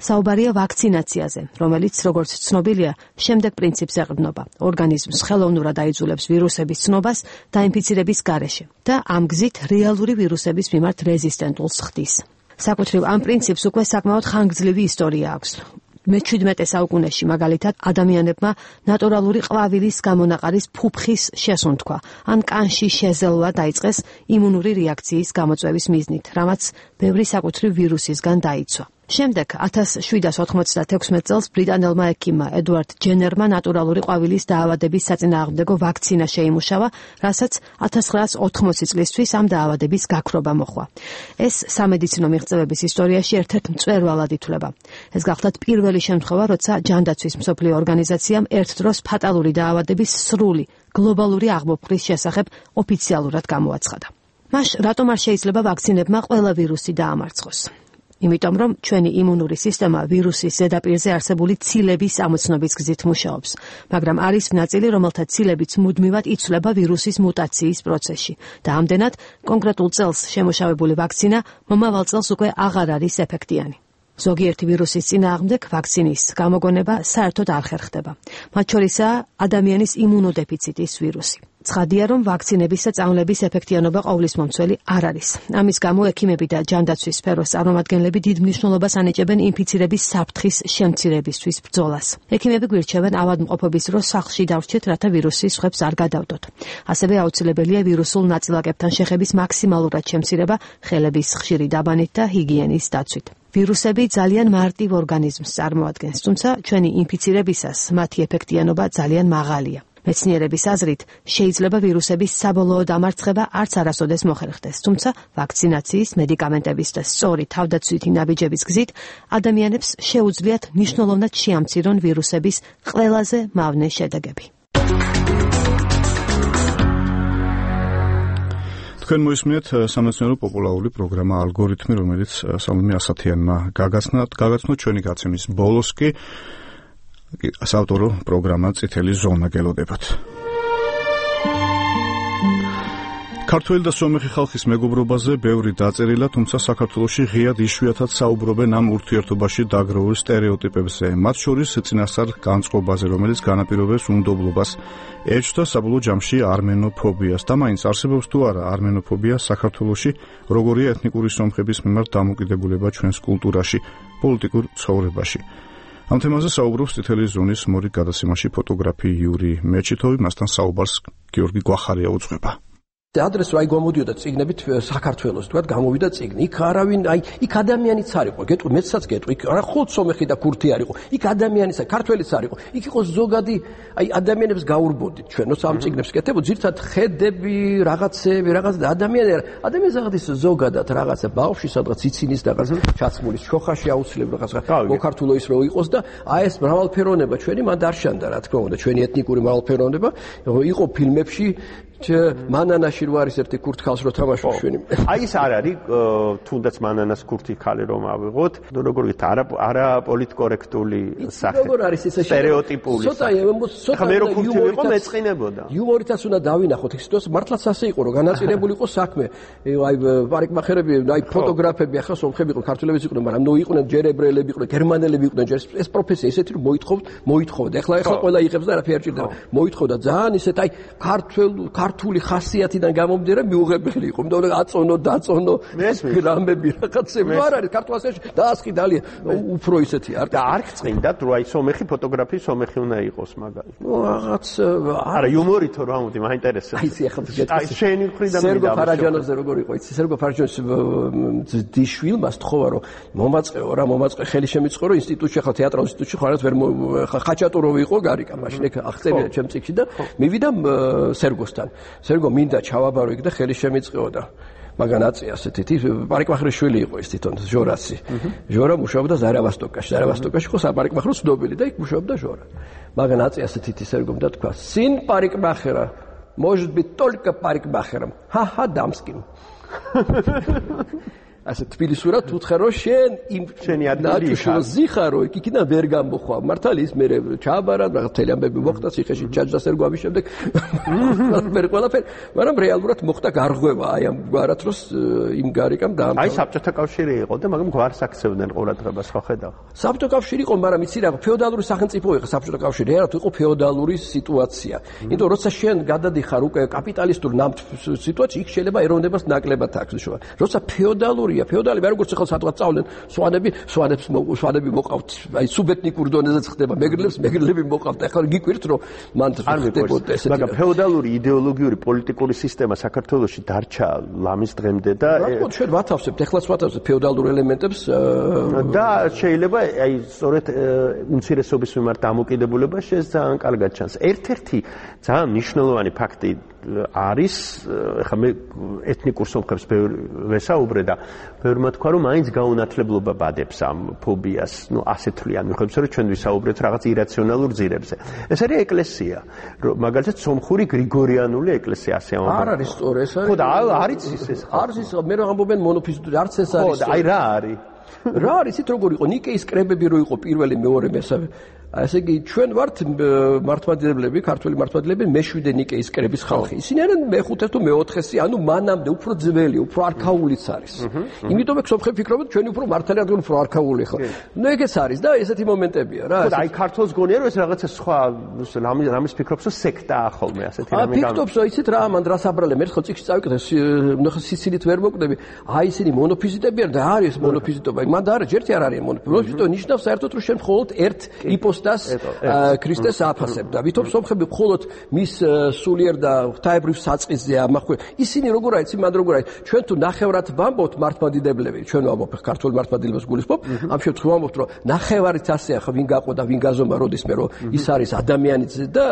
საუბარია ვაქცინაციაზე, რომელიც, როგორც ცნობილია, შემდეგ პრინციპს ეყრდნობა. ორგანიზმს ხელოვნურად აიძულებს ვირუსების ცნობას დაინფიცირების გარეშე და ამ გზით რეალური ვირუსების მიმართ რეზისტენტულს ხდის. საკუთრივ ამ პრინციპს უკვე საკმაოდ ხანგრძლივი ისტორია აქვს. მე-17 საუკუნეში მაგალითად ადამიანებმა ნატურალური ყვავილის გამონაყარის ფუფხის შესუნთქვა ან კანში შეზელვა დაიწყეს იმუნური რეაქციის გამოწვევის მიზნით, რამაც ბევრი საკუთრივ ვირუსისგან დაიცვა. შემდეგ 1796 წელს ბრიტანელმა ექიმმა ედვარდ ჯენერმა ნატურალური ყვავილის დაავადების საწინააღმდეგო ვაქცინა შეიმუშავა, რასაც 1980 წლისთვის ამ დაავადების გაქრობა მოჰყვა. ეს სამედიცინო მიღწევების ისტორიაში ერთ-ერთ მწვერვალად ითვლება. ეს გახლდათ პირველი შემთხვევა, როცა ჯანდაცვის მსოფლიო ორგანიზაციამ ერთ დროს ფატალური დაავადების სრული გლობალური აღმოფხრის შესახებ ოფიციალურად გამოაცხადა. მას რატომ არ შეიძლება ვაქცინებმა ყველა ვირუსი დაამარცხოს? იმიტომ რომ ჩვენი იმუნური სისტემა ვირუსის ზედაპირზე არსებული ცილების ამოცნობის გზით მუშაობს, მაგრამ არის ნაწილი, რომელთა ცილებიც მუდმივად იცვლება ვირუსის მუტაციის პროცესში და ამდენად კონკრეტულ წელს შემუშავებული ვაქცინა მომავალ წელს უკვე აღარ არის ეფექტიანი. ზოგიერთი ვირუსის წინააღმდეგ ვაქცინის გამოგონება საერთოდ არ ხერხდება. მათ შორისაა ადამიანის იმუნოდეფიციტის ვირუსი. ცხადია, რომ ვაქცინების და წამლების ეფექტიანობა ყოვლისმომცველი არ არის. ამის გამო ექიმები და ჯანდაცვის სფეროს წარმომადგენლები დიდ მნიშვნელობას ანიჭებენ ინფიცირების საფრთხის შემცირებისთვის ბრძოლას. ექიმები გვირჩევენ ავადმყოფობის დროს სახლში დავრჩეთ, რათა ვირუსი სხვებს არ გადავდოთ. ასევე აუცილებელია ვირუსულ ნაწილაკებთან შეხების მაქსიმალურად შემცირება ხელების ხშირი დაბანით და ჰიგიენის დაცვით. ვირუსები ძალიან მარტივ ორგანიზმს წარმოადგენს, თუმცა ჩვენი ინფიცირებისას მათი ეფექტიანობა ძალიან მაღალია. მეცნიერების აზრით, შეიძლება ვირუსების საბოლოო დამარცხება არც არასოდეს მოხერხდეს, თუმცა ვაქცინაციის, მედიკამენტების და სწორი თავდაცვითი ნაბიჯების გზით ადამიანებს შეუძლიათ მნიშვნელოვნად შეამცირონ ვირუსების ყველაზე მავნე შედეგები. თქვენ მოისმინეთ სამეცნიერო პოპულარული პროგრამა ალგორითმი, რომელიც სალომე ასათიანმა გაგაცნო ჩვენი გაცემის ბოლოს კი საავტორო პროგრამა წითელი ზონა გელოდებათ. ქართველი და სომეხი ხალხის მეგობრობაზე ბევრი დაწერილა, თუმცა საქართველოში ღიად იშვიათად საუბრობენ ამ ურთიერთობაში დაგროვილ სტერეოტიპებზე, მათ შორის წინასწარ განწყობაზე, რომელიც განაპირობებს უნდობლობას, ეჭვთა საბოლოო ჯამში არმენოფობიას. და მაინც არსებობს თუ არა არმენოფობია საქართველოში, როგორია ეთნიკური სომხების მიმართ დამოკიდებულება ჩვენს კულტურაში, პოლიტიკურ ცხოვრებაში. ამ თემაზე საუბრობს წითელი ზონის მორიგ გადაცემაში ფოტოგრაფი იური მეჩითოვი, მასთან საუბარს გიორგი გვახარია უძღვება. ადრეს რა გამოდიოდა წიგნებით საქართველოს, თქვა გამოვიდა წიგნი. იქ არავინ, იქ ადამიანიც არ იყო. გეტყვი, მეცაც გეტყვი, იქ არა ხოლმე სომეხი და ქურთი არ იყო. იქ ადამიანიც, ქართველიც არ იყო. იქ იყო ზოგადი, ადამიანებს გაურბოდით ჩვენო სამ წიგნებს კეთებო, ძირთად ხედები, რაღაცები, ადამიანს აღდის ზოგადად რაღაცა ბავშვი სადღაც ციცინის და რაღაცა ჩაცმულის შოხაში აუცილებლად რაღაცა მოკართულო ის რო იყოს და ეს მრავალფეროვნება ჩვენი მანდ არ შანდა, რა თქმა უნდა, ჩვენი ეთნიკური მრავალფეროვნება იყო ფილმებში მანანაში რო არის ერთი ქურთ ხალს რო თამაშობს ჩვენი. ის არ არის თუნდაც მანანას ქურთი ხალი რომ ავიღოთ, როგორ ვით არა პოლიტკორექტული სახე. როგორ არის ეს სტერეოტიპული. ცოტა მე რო ქურთი ვიყო მეწყინებოდა. იუმორითაც უნდა დავინახოთ ის სიტუაცია, მართლაც ასე იყო რომ განაწილებული იყო საქმე. პარიკმახერები, ფოტოგრაფები ახლა სომხები იყვნენ, ქართველებიც იყვნენ, მაგრამ იყვნენ ჯერ ებრაელები იყვნენ, გერმანელები იყვნენ, ჯერ ეს პროფესია ისეთი რომ მოითხოვდა. ახლა ყველა იღებს და არაფერი არ ჭირდება. მოითხოვდა ძალიან ისეთ ქართული ხასიათიდან გამომდინარე მიუღებელი იყო. მე აწონო, დაწონო გრამები რაღაცები. არ არის ქართულში დაასხი დალია უფრო ისეთი არ და არ გწყინდათ რომ სომეხი ფოტოგრაფი სომეხი უნდა იყოს მაგალითად. რაღაც არა იუმორითო რა მოდი მაინტერესებს. ის ახლა შენი მხრიდან სერგო ფარაჯანოზე როგორ იყო იცი სერგო ფარაჯანის დიშვილმა სთხოვა რომ მომაწყე ხელი შემიწყო რომ ინსტიტუტში ახლა თეატრალურ ინსტიტუტში ხარაც ვერ ხაჭატუროვი იყო გარიკა მაშინ ეგ აღწერია ჩემ წიგნში და მივიდა სერგოსთან. სერგო მინდა ჩავაბარო იქ და ხელი შემიწყეო და მაგან აწია ასეთი პარიკმახერის შვილი იყო ის თვითონ ჟორაცი. ჟორა მუშაობდა ზარავასტოკაში ხო საპარიკმახერო ცნობილი და იქ მუშაობდა ჟორა. მაგან აწია ასეთი სერგომ და თქვა სინ პარიკმახერა может быть только парикмахером. Ха-ха, дамским. ასე თბილისურად უთხრა რომ შენ იმ შენი ადგილი ზიხარო იქიდან ვერ გამოხვა მართალი ის მე ჩააბარა რაღაც თელი ამბები მოხდა ციხეში ჩაჯდა სერგო ამის შემდეგ მე ყველაფერი მაგრამ რეალურად მოხდა გარღვევა აი ამ გვარათროს იმ გარიკამ და აი საბჭოთა კავშირი იყო და მაგრამ გვარს აქცევდნენ ყურადღებას ხო ხედავ საბჭოთა კავშირი იყო მაგრამ იცი რა ფეოდალური სახელმწიფო იყო საბჭოთა კავშირი რა თუ იყო ფეოდალური სიტუაცია იმიტომ როცა შენ გადადიხარ უკვე კაპიტალისტურ სიტუაციაში იქ შეიძლება ეროვნებას ნაკლებად აქვს შოა როცა ფეოდალები არ როგორც ახლა სადღაც წავლენ სვანები მოყავთ აი სუბეთნიკურ დონეზე ხდება მეგრელები მოყავთ ახლა გიკვირთ რომ მან ხდებოდა ესეთი მაგრამ ფეოდალური იდეოლოგიური პოლიტიკური სისტემა საქართველოში დარჩა ლამის დღემდე და ჩვენ ვათავსებთ ეხლაც ვათავსებთ ფეოდალურ ელემენტებს და შეიძლება აი სწორედ უმცირესობის მიმართ დამოკიდებულება შეს ძალიან კარგად ჩანს ერთ-ერთი ძალიან მნიშვნელოვანი ფაქტი არის ხა მე ეთნიკურ სომხებს ვესაუბრე და ბევრმა თქვა რომ მაინც გაუნათლებლობა ბადებს ამ ფობიას ნუ ასეთ თვლიან მიხედვით რომ ჩვენ ვისაუბრეთ რაღაც ირაციონალურ ძირებზე ეს არის ეკლესია მაგალითად სომხური გრიგორიანული ეკლესია ასე ამბობენ არ არის სწორი ეს არის ხო და არის ის არის ის მე რა ამბობენ მონოფიზიტური არც ეს არის ხო და აი რა არის რა არის ით როგორ იყო ნიკეის კრებები რო იყო პირველი მეორე მესამე ასე იგი ჩვენ ვართ მართლმადიდებლები, ქართველი მართლმადიდებლები, მე-7 ნიკეის კრების ხალხი. ისინი არიან მე-5 თუ მე-4-ესი, ანუ მანამდე უფრო ძველი, უფრო არქაულიც არის. იმიტომ მე სომხები ფიქრობენ, ჩვენი უფრო მართალი ადგილი უფრო არქაული ხო. ნუ ეგეც არის და ესეთი მომენტებია რა. ხო, აი ქართულს გონია რომ ეს რაღაცა სხვა რამის ფიქრობს, რომ სექტაა ხოლმე ასეთი რამე. ფიქრობს, რომ იცით რა, მან რას აბრალე, მე ხო წიგნში წავიკეთე, ნახე სიცილით ვერ მოკდები. აი ისინი მონოფიზიტები არიან და არის მონოფიზიტობა. მან და არა, ჯერთი არ არის მონოფიზიტობა, ნიშნავს საერთოდ რომ შენ მხოლოდ ერთ იპოს კოსტას ქრისტეს აფასებდა. ვითომ სომხები მხოლოდ მის სულიერ და ღვთაებრივ საწყისზე ამახვე. ისინი როგორ არის, მან როგორ არის. ჩვენ თუ ნახევრად ვამბობთ მართლმადიდებლები, ჩვენ ვამბობთ ქართულ მართლმადიდებლებს გულისხმობ, ამ შემთხვევაში ვამბობთ, რომ ნახევარით ასე ახლა ვინ გაყო და ვინ გაზომა როდისმე რომ ის არის ადამიანიც და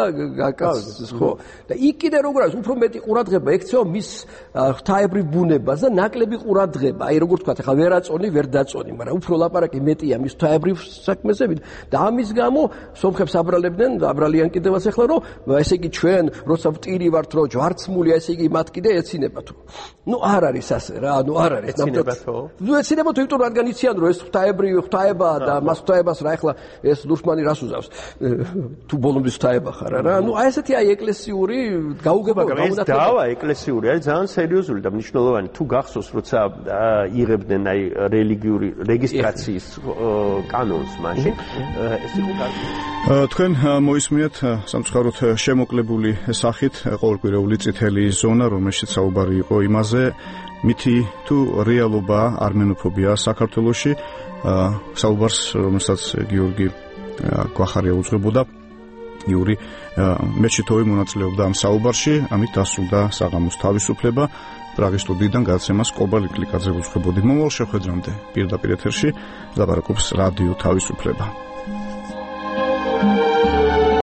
კაცს, ხო? და იქ კიდე როგორ არის, უფრო მეტი ყურადღება ექცევა მის ღვთაებრივ ბუნებას და ნაკლები ყურადღება. აი როგორ თქვა, ახლა ვერ აწონი, ვერ დაწონი, მაგრამ უფრო ლაპარაკი მეტია მის ღვთაებრივ საქმეზე და ამის გამო სომხებს აბრალებდნენ, აბრალიან კიდევაც ახლა რომ ესე იგი ჩვენ როცა ვტირი ვართ რომ ჯვარცმულია ესე იგი მათ კიდე ეცინებათ. ნუ არ არის ასე რა, ნუ არ არის. ეცინებათო? ნუ ეცინებათ, იმიტომ რომ რადგან იციან რომ ეს ღვთაებაა და მას ღვთაებას რა ახლა ეს ლურსმანი რას უზავს? თუ ბოლომდე ღვთაება ხარ რა. ნუ აი ესეთი აი ეკლესიური გაუგება ეს დავა ეკლესიური არის ძალიან სერიოზული და მნიშვნელოვანი. თუ გახსოვს როცა იღებდნენ აი რელიგიური რეგისტრაციის კანონს მაშინ ეს იყო კარგი. თქვენ მოისმინეთ სამწუხაროდ შემოკლებული სახით ყოველკვირეული წითელი ზონა, რომელშიც საუბარი იყო იმაზე, მითი თუ რეალობაა არმენოფობია საქართველოში, საუბარს, რომელსაც გიორგი გვახარია უძღვებოდა, იური მეჩითოვი მონაწილეობდა ამ საუბარში, ამით დასრულდა საღამოს თავისუფლება. პრაღის სტუდიიდან გადაცემას კობალ იკლიკაძე უძღვებოდი. მომავალ შეხვედრამდე პირდაპირ ეთერში ლაპარაკობს რადიო თავისუფლება.